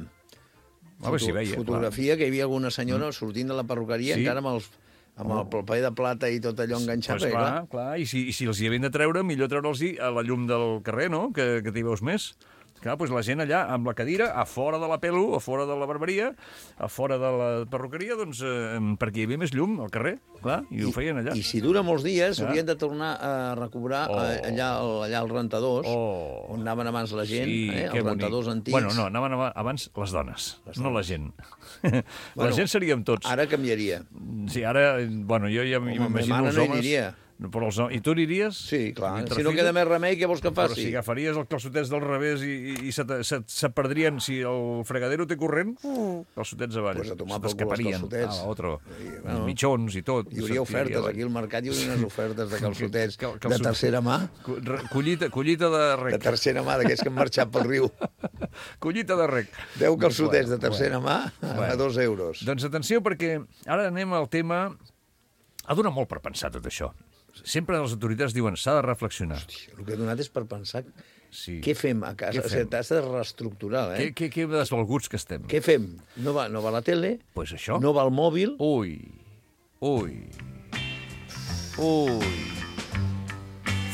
fotografia que hi havia alguna senyora sortint de la perruqueria encara amb el paper de plata i tot allò enganxat. Pues clar. I si els hi havien de treure, millor treure'ls a la llum del carrer, no?, que t'hi veus més. Clar, doncs la gent allà, amb la cadira, a fora de la pelo, a fora de la barberia, a fora de la perruqueria, doncs, perquè hi havia més llum al carrer, clar, i ho feien allà. I si dura molts dies, haurien de tornar a recobrar allà als rentadors, on anaven abans la gent, els rentadors antics. Bueno, no, anaven abans les dones, no la gent. La gent seríem tots. Ara canviaria. Sí, ara, bueno, jo ja m'imagino els homes... I tu aniríes? Sí, clar. Si no queda més remei, què vols que faci? Però si agafaries els calçotets del revés i se perdrien, si el fregadero té corrent, calçotets avall. Pues a tomar pel cul els calçotets. Els mitjons i tot. Hi hauria ofertes, aquí al mercat hi hauria unes ofertes de calçotets de tercera mà. Collita de rec. De tercera mà, d'aquests que han marxat pel riu. Collita de rec. 10 calçotets de tercera mà a 2 euros. Doncs atenció, perquè ara anem al tema... Ha donat molt per pensar tot això. Sempre les autoritats diuen s'ha de reflexionar. Hòstia, el que ha donat és per pensar què fem a casa. T'has de reestructurar, Què desvalguts que estem. Què fem? No va la tele, pues això. No va el mòbil. Ui.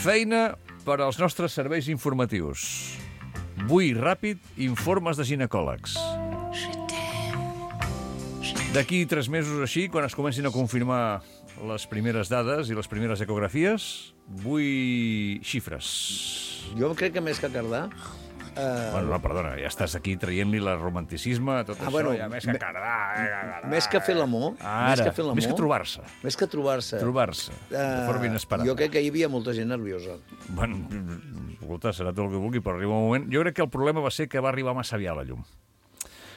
Feina per als nostres serveis informatius. Vull ràpid informes de ginecòlegs. D'aquí 3 mesos així, quan es comencin a confirmar les primeres dades i les primeres ecografies, vull xifres. Jo crec que més que Cardà... Bueno, no, perdona, ja estàs aquí traient-li el romanticisme, tot això, bueno, ja més que Cardà... Més que fer l'amor... Més que trobar-se. Més que trobar-se. De forma inesperada. Jo crec que hi havia molta gent nerviosa. Bueno, escolta, serà tot el que vulgui, però arriba un moment... Jo crec que el problema va ser que va arribar massa aviat la llum.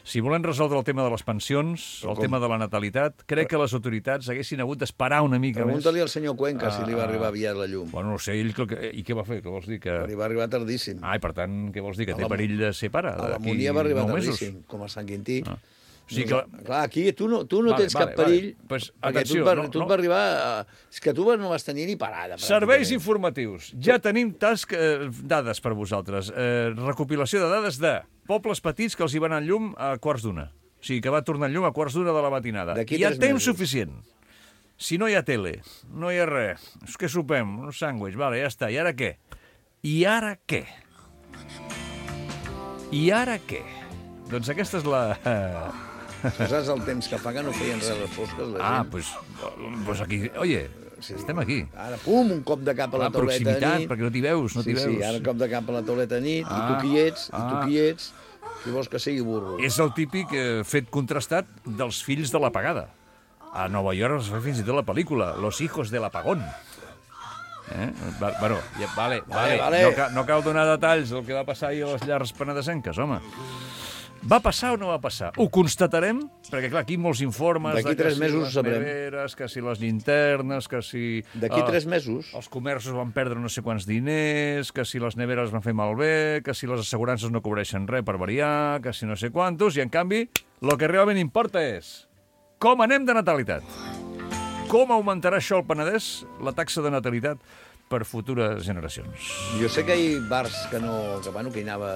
Si volem resoldre el tema de les pensions, el tema de la natalitat, crec que les autoritats haguessin hagut d'esperar una mica més. Pregunta-li al senyor Cuenca si li va arribar aviat la llum. Bueno, no sé, ell... I què va fer? Què vols dir? Li va arribar tardíssim. I per tant, què vols dir? Que té perill de ser pare? A l'Harmonia va arribar tardíssim, com a Sant Quintí. Sí, clar, aquí tu no tens cap perill, perquè tu et va arribar... És que tu no vas tenir ni parada. Serveis informatius. Ja tenim dades per vosaltres. Recopilació de dades de pobles petits que els hi van en llum a 1:15. O sigui, que va tornar en llum a 1:15 de la matinada. Hi ha temps suficient. Si no hi ha tele, no hi ha res, és que sopem, un sàndwich, vale, ja està. I ara què? Doncs aquesta és la... Tu saps el temps que fa que no feien res les fosques, la gent? Pues aquí, oye, estem aquí. Ara, pum, un cop de cap a la tauleta de nit. Perquè no t'hi veus, Sí, ara un cop de cap a la tauleta de nit, i tu qui ets, qui vols que sigui burro. És el típic fet contrastat dels fills de l'apagada. A Nova York es fa fins i tot la pel·lícula Los hijos del apagón. Bueno, vale. No cal donar detalls del que va passar ahir a les llars penedesenques, home. Va passar o no va passar? Ho constatarem? Perquè, clar, aquí molts informes... D'aquí 3 mesos ho sabrem. Neveres, que si les llinternes, que si... D'aquí 3 mesos? Els comerços van perdre no sé quants diners, que si les neveres van fer malbé, que si les assegurances no cobreixen res per variar, que si no sé quantos, i en canvi, el que realment importa és com anem de natalitat. Com augmentarà això al Penedès, la taxa de natalitat, per futures generacions. Jo sé que hi ha bars que hi anava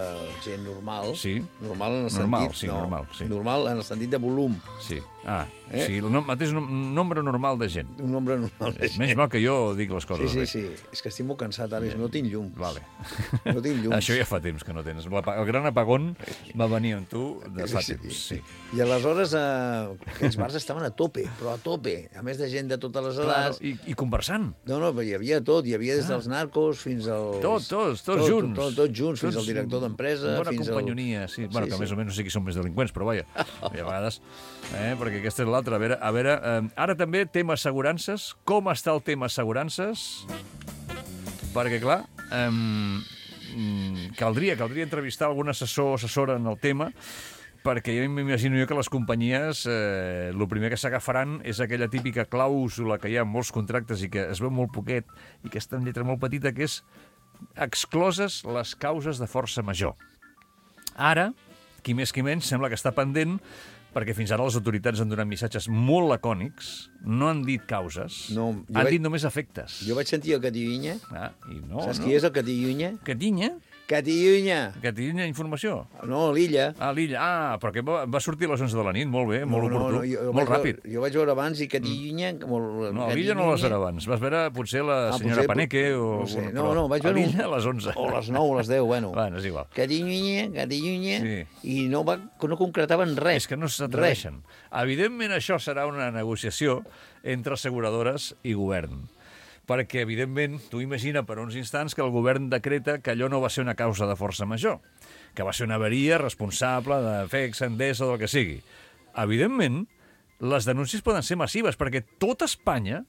gent normal. Sí. Normal en el sentit... Normal en el sentit de volum. Sí. Sí, el mateix nombre normal de gent. Un nombre normal de gent. Menys mal que jo dic les coses bé. Sí. És que estic molt cansat, ara. No tinc llum. Vale. No tinc llum. Això ja fa temps que no tens. El gran apagón va venir amb tu de fa temps. Sí. I aleshores aquests bars estaven a tope, però a tope. A més de gent de totes les edats. I conversant. No, hi havia tot. Hi havia havia des dels narcos fins als... Tots junts. Tots junts, fins al director d'empresa. Bona companyonia, sí. Bueno, que més o menys no sé qui són més delinqüents, però vaja, a vegades, perquè aquesta és l'altra. A veure, ara també tema assegurances. Com està el tema assegurances? Perquè, clar, caldria entrevistar algun assessor o assessora en el tema, perquè jo m'imagino que les companyies el primer que s'agafaran és aquella típica clàusula que hi ha en molts contractes i que es veu molt poquet i que està en lletra molt petita, que és excloses les causes de força major. Ara, qui més qui menys, sembla que està pendent, perquè fins ara les autoritats han donat missatges molt lacònics, no han dit causes, han dit només efectes. Jo vaig sentir el Catiunya. Saps qui és el Catiunya? Catiunya? Catiunya informació? No, l'Illa. L'Illa. Perquè va sortir a les 11 de la nit, molt bé, molt oportú, molt ràpid. Jo vaig veure abans i Catiunya... No, l'Illa no la vas veure abans. Vas veure potser la senyora Paneque o... No, vaig veure... L'Illa a les 11. O a les 9 o a les 10, bueno. Bueno, és igual. Catiunya, i no concretaven res. És que no s'atreveixen. Evidentment, això serà una negociació entre asseguradores i govern. Perquè, evidentment, tu imagina per uns instants que el govern decreta que allò no va ser una causa de força major, que va ser una avaria responsable de FEX, Endesa o del que sigui. Evidentment, les denúncies poden ser massives, perquè tot Espanya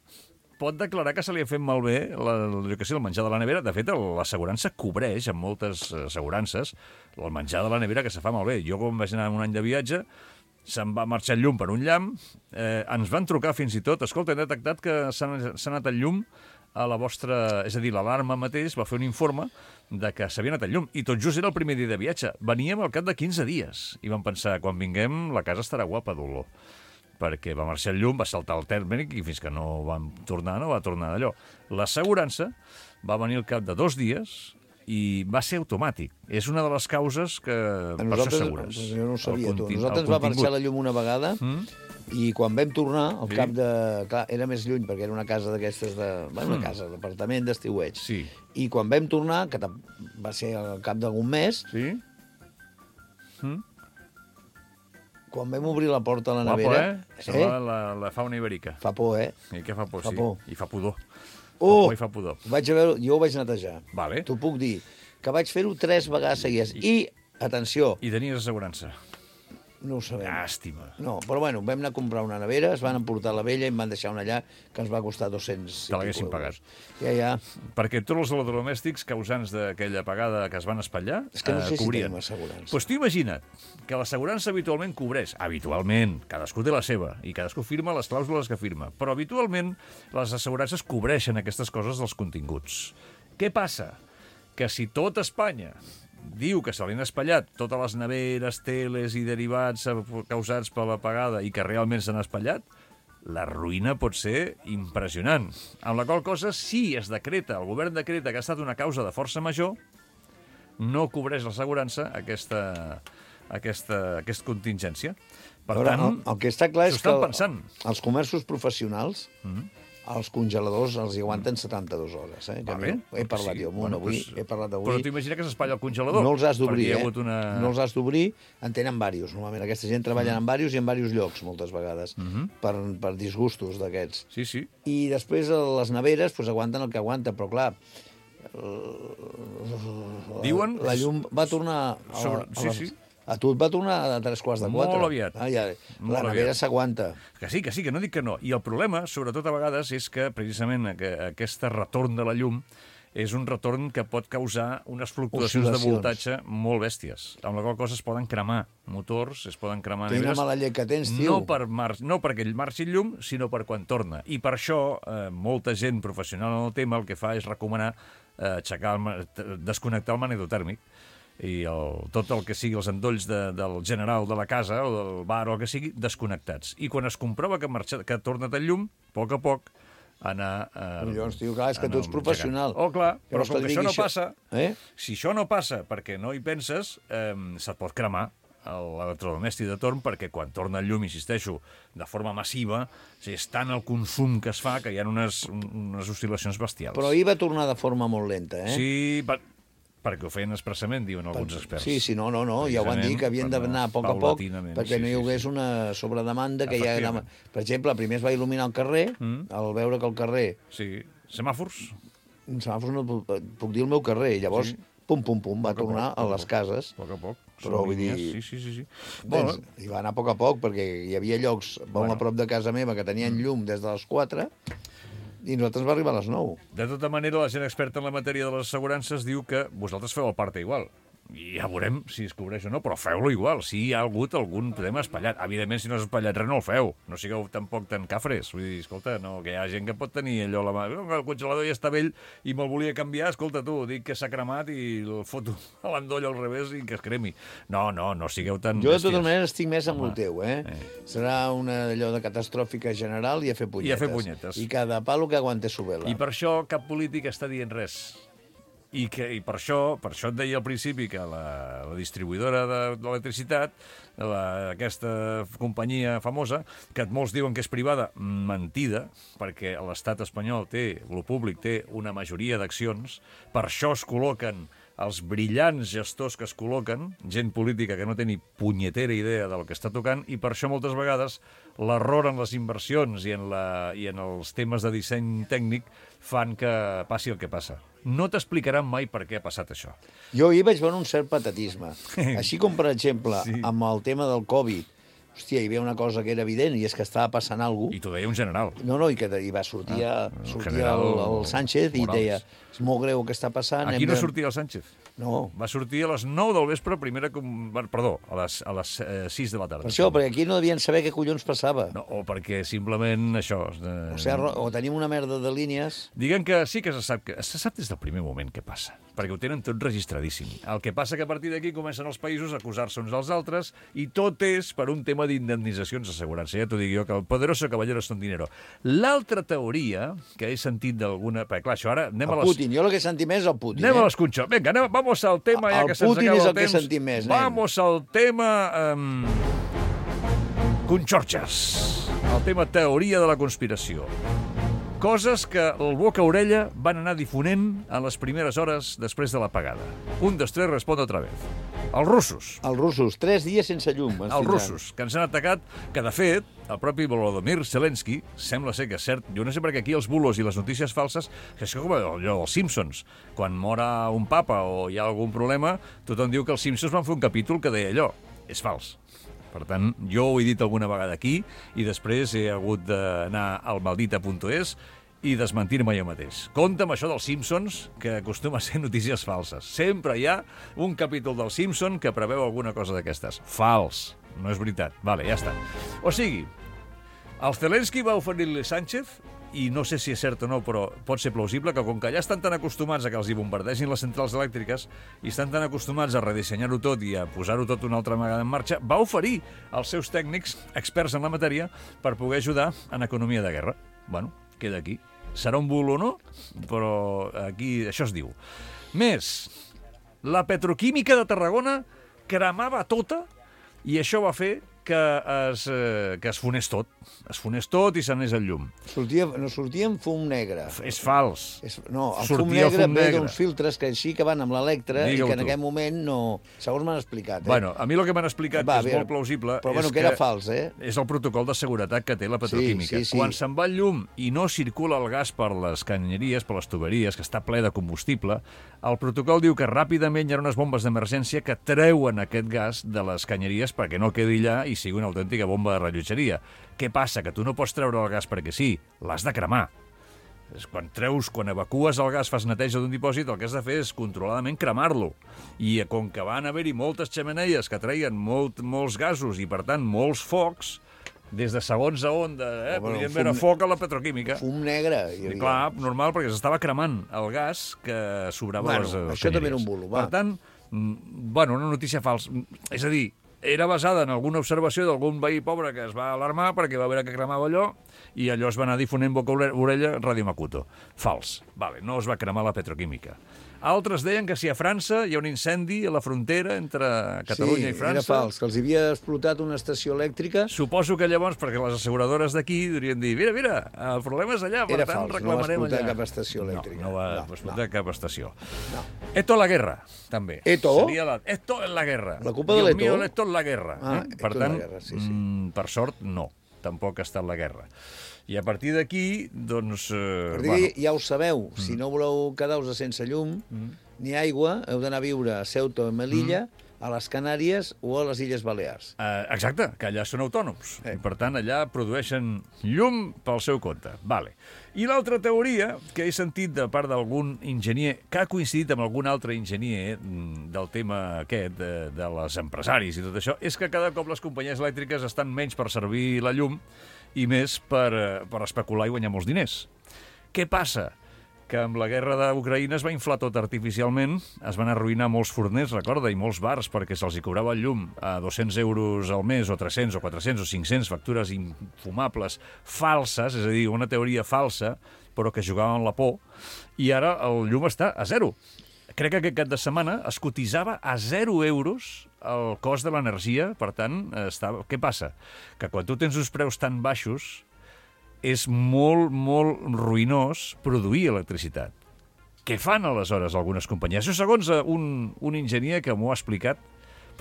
pot declarar que se li ha fet malbé el menjar de la nevera. De fet, l'assegurança cobreix, en moltes assegurances, el menjar de la nevera que se fa malbé. Jo, quan vaig anar un any de viatge, se'n va marxar el llum per un llamp, ens van trucar fins i tot, escolta, hem detectat que s'ha anat el llum a la vostra... És a dir, l'alarma mateix va fer un informe de que s'havia anat el llum, i tot just era el primer dia de viatge. Veníem al cap de 15 dies, i vam pensar, quan vinguem, la casa estarà guapa d'olor, perquè va marxar el llum, va saltar el tèrmic, i fins que no va tornar d'allò. L'assegurança va venir al cap de 2 dies, i va ser automàtic. És una de les causes que per això segures. Jo no ho sabia, tu. Nosaltres va marxar la llum una vegada i quan vam tornar, al cap de... Clar, era més lluny, perquè era una casa d'aquestes de... Una casa, d'apartament d'estiueig. Sí. I quan vam tornar, que va ser al cap d'algun mes, quan vam obrir la porta a la nevera... Sembla la fauna ibèrica. Fa por, I què fa por, sí. I fa pudor. Jo ho vaig netejar. Vale. T'ho puc dir. Que vaig fer-ho 3 vegades seguides. I, atenció... I tenies assegurança? No ho sabem. Llàstima. No, però bueno, vam anar a comprar una nevera, es van emportar la vella i em van deixar una allà que ens va costar 200 Te l'haguessin pagat. Ja. Perquè tots els electrodomèstics causants d'aquella apagada que es van espatllar és que no sé cobrien. Si tenim assegurança. Doncs tu imagina't que l'assegurança habitualment cobreix. Habitualment, cadascú té la seva, i cadascú firma les clàusules que firma. Però habitualment les assegurances cobreixen aquestes coses dels continguts. Què passa? Que si tot Espanya diu que se li han espatllat totes les neveres, teles i derivats causats per l'apagada i que realment s'han espatllat, la ruïna pot ser impressionant. Amb la qual cosa, si es decreta, el govern decreta que ha estat una causa de força major, no cobreix l'assegurança aquesta contingència. Per tant, el que està clar és que els comerços professionals... Els congeladors els hi aguanten 72 hores, He parlat jo amb un avui, he parlat avui... Però t'imagina que s'espatlla el congelador. No els has d'obrir, No els has d'obrir, en tenen diversos. Normalment aquesta gent treballa en diversos i en diversos llocs, moltes vegades, per disgustos d'aquests. Sí. I després les neveres aguanten el que aguanten, però clar... Diuen... La llum va tornar... A tu et va tornar a 3:15. Molt aviat. La nevera s'aguanta. Que sí, que no dic que no. I el problema, sobretot a vegades, és que precisament aquest retorn de la llum és un retorn que pot causar unes fluctuacions de voltatge molt bèsties, amb la qual cosa es poden cremar motors, es poden cremar neveres... Quina mala llet que tens, tio! No perquè ell marxi el llum, sinó per quan torna. I per això, molta gent professional en el tema el que fa és recomanar desconnectar el magnetotèrmic i tot el que sigui els endolls del general de la casa o del bar o el que sigui, desconnectats. I quan es comprova que ha tornat el llum, a poc anar... Collons, tio, clar, és que tu ets professional. Clar, però com que això no passa, si això no passa perquè no hi penses, se't pot cremar l'electrodomèstic de torn, perquè quan torna el llum, insisteixo, de forma massiva, és tant el consum que es fa que hi ha unes oscil·lacions bestials. Però ahir va tornar de forma molt lenta, Sí, perquè ho feien expressament, diuen alguns experts. Sí, no, ja ho van dir, que havien d'anar a poc a poc, perquè no hi hagués una sobredemanda que ja... Per exemple, primer es va il·luminar el carrer, al veure que el carrer... Sí, semàfors. semàfors no puc dir el meu carrer, i llavors, pum, va tornar a les cases. A poc a poc. Però vull dir... Sí. I va anar a poc, perquè hi havia llocs molt a prop de casa meva que tenien llum des de les 4 i nosaltres va arribar a les 9. De tota manera, la gent experta en la matèria de les assegurances diu que vosaltres feu el parte igual. I ja veurem si es cobreix o no, però feu-lo igual. Si hi ha hagut algun tema espatllat. Evidentment, si no has espatllat res, no el feu. No sigueu tampoc tan cafres. Vull dir, escolta, no, que hi ha gent que pot tenir allò a la mà. El congelador ja està vell i me'l volia canviar. Escolta, tu, dic que s'ha cremat i el foto a l'endoll al revés i que es cremi. No sigueu tan Jo, de totes maneres, estic més amb el teu, Serà una allò de catastròfica general i a fer punyetes. I cada palo que aguante su vela. I per això cap polític està dient res. I per això et deia al principi que la distribuïdora d'electricitat, aquesta companyia famosa, que molts diuen que és privada, mentida, perquè l'estat espanyol lo públic té una majoria d'accions, per això es col·loquen els brillants gestors que es col·loquen, gent política que no té ni punyetera idea del que està tocant, i per això moltes vegades l'error en les inversions i en els temes de disseny tècnic fan que passi el que passa. No t'explicaran mai per què ha passat això. Jo hi vaig veure un cert patatisme. Així com, per exemple, amb el tema del Covid, hòstia, hi havia una cosa que era evident, i és que estava passant alguna cosa. I t'ho deia un general. I que va sortir el Sánchez i deia, és molt greu el que està passant. Aquí no sortia el Sánchez. No. Va sortir a les 9 del vespre, a les 6 de la tarda. Per això, perquè aquí no devien saber què collons passava. No, o perquè simplement això... O tenim una merda de línies... Diguem que sí que se sap des del primer moment què passa, perquè ho tenen tot registradíssim. El que passa que a partir d'aquí comencen els països a acusar-se uns als altres i tot és per un tema d'indemnitzacions d'assegurança. Ja t'ho dic jo, que el poderoso caballero son dinero. L'altra teoria que he sentit d'alguna... Perquè, clar, això ara... Putin, jo el que he sentit més és el Putin. Anem a l'escunxó. Vinga, vamos al tema, ja que se'ns acaba el temps. El Putin és el que he sentit més, Vamos al tema... Conxorxes. El tema teoria de la conspiració. Coses que el boca-orella van anar difonent en les primeres hores després de l'apagada. 1, 2, 3, respon otra vez. Els russos. Els russos, 3 dies sense llum. Els russos, que ens han atacat, que de fet, el propi Volodymyr Zelensky, sembla ser que és cert, jo no sé per què aquí els bulos i les notícies falses, que és com allò dels Simpsons. Quan mora un papa o hi ha algun problema, tothom diu que els Simpsons van fer un capítol que deia allò. És fals. Per tant, jo ho he dit alguna vegada aquí i després he hagut d'anar al maldita.es i desmentir-me jo mateix. Compte amb això dels Simpsons, que acostuma a ser notícies falses. Sempre hi ha un capítol dels Simpsons que preveu alguna cosa d'aquestes. Fals. No és veritat. Vale, ja està. O sigui, el Zelensky va oferir-li Sánchez, i no sé si és cert o no, però pot ser plausible, que com que ja estan tan acostumats a que els hi bombardegin les centrals elèctriques i estan tan acostumats a redissenyar-ho tot i a posar-ho tot una altra vegada en marxa, va oferir als seus tècnics, experts en la matèria, per poder ajudar en economia de guerra. Bueno, queda aquí. Serà un bulo o no? Però aquí això es diu. Més, la petroquímica de Tarragona cremava tota i això va fer que es fonés tot. Es fonés tot i s'anés el llum. No sortia en fum negre. És fals. No, el fum negre ve d'uns filtres que així que van amb l'electre i que en aquell moment no... Segons m'han explicat. Bueno, a mi el que m'han explicat, que és molt plausible... Però bueno, que era fals, és el protocol de seguretat que té la petroquímica. Quan se'n va el llum i no circula el gas per les canyeries, per les tuberies, que està ple de combustible, el protocol diu que ràpidament hi ha unes bombes d'emergència que treuen aquest gas de les canyeries perquè no quedi allà i sigui una autèntica bomba de rellotgeria. Què passa? Que tu no pots treure el gas perquè sí, l'has de cremar. Quan evacues el gas, fas neteja d'un dipòsit, el que has de fer és controladament cremar-lo. I com que van haver-hi moltes xemeneies que treien molts gasos i, per tant, molts focs, des de segons a onda, podien veure foc a la petroquímica. Fum negre. Clar, normal, perquè s'estava cremant el gas que sobrava les canyeries. Això també era un bulo, va. Per tant, una notícia falsa. És a dir, era basada en alguna observació d'algun veí pobre que es va alarmar perquè va veure que cremava allò i allò es va anar difonent boca-orella Radio Makuto. Fals. Vale, no es va cremar la petroquímica. Altres deien que si a França hi ha un incendi a la frontera entre Catalunya i França... Sí, era fals, que els havia explotat una estació elèctrica. Suposo que llavors, perquè les asseguradores d'aquí dirien dir, mira, el problema és allà, per tant reclamarem allà. Era fals, no va explotar cap estació elèctrica. No va explotar cap estació. Esto la guerra, també. Esto? Esto en la guerra. La culpa de l'Eto? Esto en la guerra. Per tant, per sort, no. tampoc ha estat la guerra. I a partir d'aquí, doncs... Ja ho sabeu, si no voleu quedar-vos sense llum ni aigua, heu d'anar a viure a Ceuta o Melilla, a les Canàries o a les Illes Balears. Exacte, que allà són autònoms. I, per tant, allà produeixen llum pel seu compte. Vale. I l'altra teoria que he sentit de part d'algun enginyer, que ha coincidit amb algun altre enginyer del tema aquest, de les empresaris i tot això, és que cada cop les companyies elèctriques estan menys per servir la llum i més per especular i guanyar molts diners. Què passa? Que amb la guerra d'Ucraïna es va inflar tot artificialment, es van arruïnar molts forners, recorda, i molts bars, perquè se'ls cobrava el llum a 200 euros al mes, o 300, o 400, o 500, factures infumables, falses, és a dir, una teoria falsa, però que jugava amb la por, i ara el llum està a zero. Crec que aquest cap de setmana es cotitzava a 0 euros el cost de l'energia, per tant, què passa? Que quan tu tens uns preus tan baixos, és molt, molt ruïnós produir electricitat. Què fan, aleshores, algunes companyies? Això segons un enginyer que m'ho ha explicat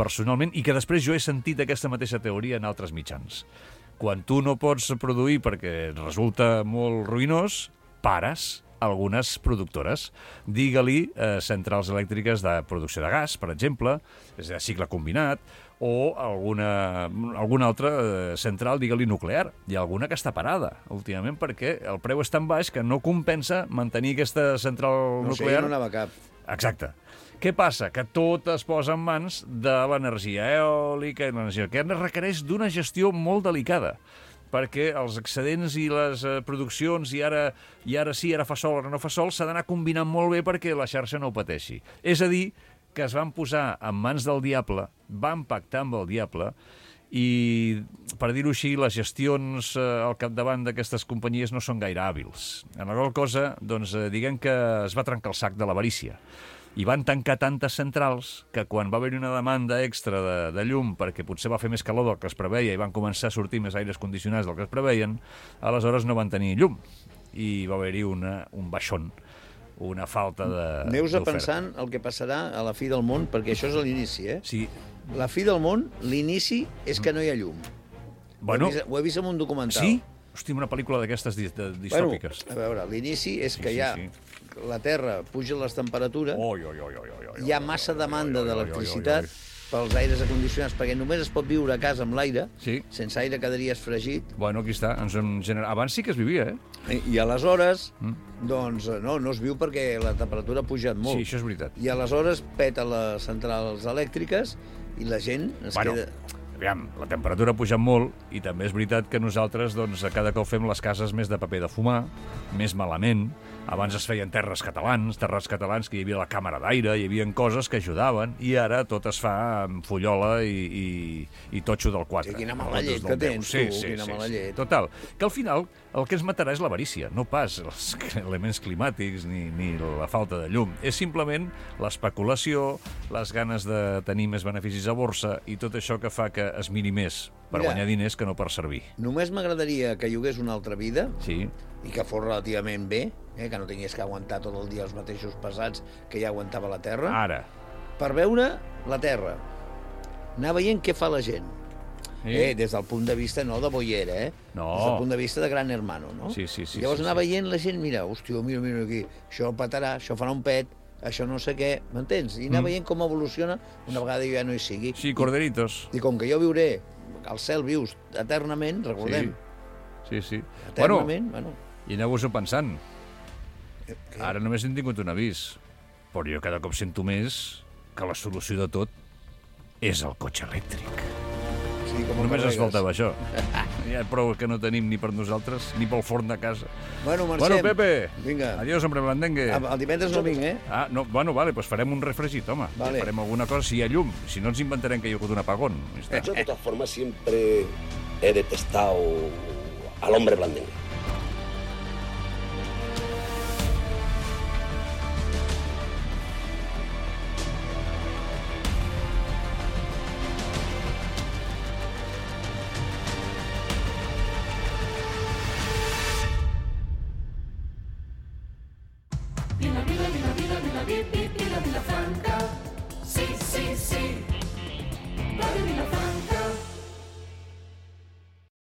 personalment i que després jo he sentit aquesta mateixa teoria en altres mitjans. Quan tu no pots produir perquè resulta molt ruïnós, pares algunes productores. Digue-li centrals elèctriques de producció de gas, per exemple, és de cicle combinat, o alguna altra central, digue-li nuclear. Hi ha alguna que està parada, últimament, perquè el preu és tan baix que no compensa mantenir aquesta central nuclear. No anava cap. Exacte. Què passa? Que tot es posa en mans de l'energia eòlica i l'energia que requereix d'una gestió molt delicada, perquè els excedents i les produccions, i ara sí, ara fa sol, ara no fa sol, s'ha d'anar combinant molt bé perquè la xarxa no ho pateixi. És a dir, que es van posar en mans del diable, van pactar amb el diable, i, per dir-ho així, les gestions al capdavant d'aquestes companyies no són gaire hàbils. En la qual cosa, doncs, diguem que es va trencar el sac de l'avarícia. I van tancar tantes centrals que quan va haver-hi una demanda extra de llum perquè potser va fer més calor del que es preveia i van començar a sortir més aires condicionats del que es preveien, aleshores no van tenir llum i va haver-hi un baixón, una falta d'oferta. Aneu-vos pensant el que passarà a la fi del món, perquè això és l'inici, eh? Sí. La fi del món, l'inici és que no hi ha llum. Bueno, ho he vist en un documental. Sí? Hosti, una pel·lícula d'aquestes distòpiques. Bueno, a veure, l'inici és que ja la Terra puja les temperatures, hi ha massa demanda d'electricitat pels aires acondicionats, perquè només es pot viure a casa amb l'aire, sense aire quedaries fregit. Bueno, aquí està, abans sí que es vivia, eh? I aleshores, doncs, no es viu perquè la temperatura ha pujat molt. Sí, això és veritat. I aleshores peta les centrals elèctriques i la gent es queda... Aviam, la temperatura ha pujat molt i també és veritat que nosaltres, doncs, cada cop fem les cases més de paper de fumar, més malament. Abans es feien terres catalans que hi havia la càmera d'aire, hi havia coses que ajudaven, i ara tot es fa amb fullola i totxo del 4. Sí, quina mala llet que tens, tu, quina mala llet. Total, que al final el que ens matarà és l'avarícia, no pas els elements climàtics ni la falta de llum. És simplement l'especulació, les ganes de tenir més beneficis a borsa i tot això que fa que es miri més per guanyar diners que no per servir. Només m'agradaria que llogués una altra vida i que fos relativament bé, que no tingués que aguantar tot el dia els mateixos pesats que ja aguantava la Terra. Ara. Per veure la Terra. Anar veient què fa la gent. Des del punt de vista no de boiera, No. Des del punt de vista de gran hermano, no? Sí. Llavors anar veient la gent, mira, hòstia, mira aquí, això petarà, això farà un pet, això no sé què, m'entens? I anar veient com evoluciona una vegada jo ja no hi sigui. Sí, corderitos. I com que jo viuré, al cel vius eternament, recordem. Sí. Eternament, I aneu-vos-ho pensant. Ara només hem tingut un avís, però jo cada cop sento més que la solució de tot és el cotxe elèctric. Sí, només ens faltava això. Ja prou que no tenim ni per nosaltres, ni pel forn de casa. Bueno, marxem. Bueno, Pepe, vinga. Adiós, hombre blandengue. El divendres no vinc, Vale, pues farem un refregit, home. Vale. Farem alguna cosa si hi ha llum. Si no ens inventarem que hi ha hagut un apagón. Yo, de todas formas, siempre he detestado al hombre blandengue.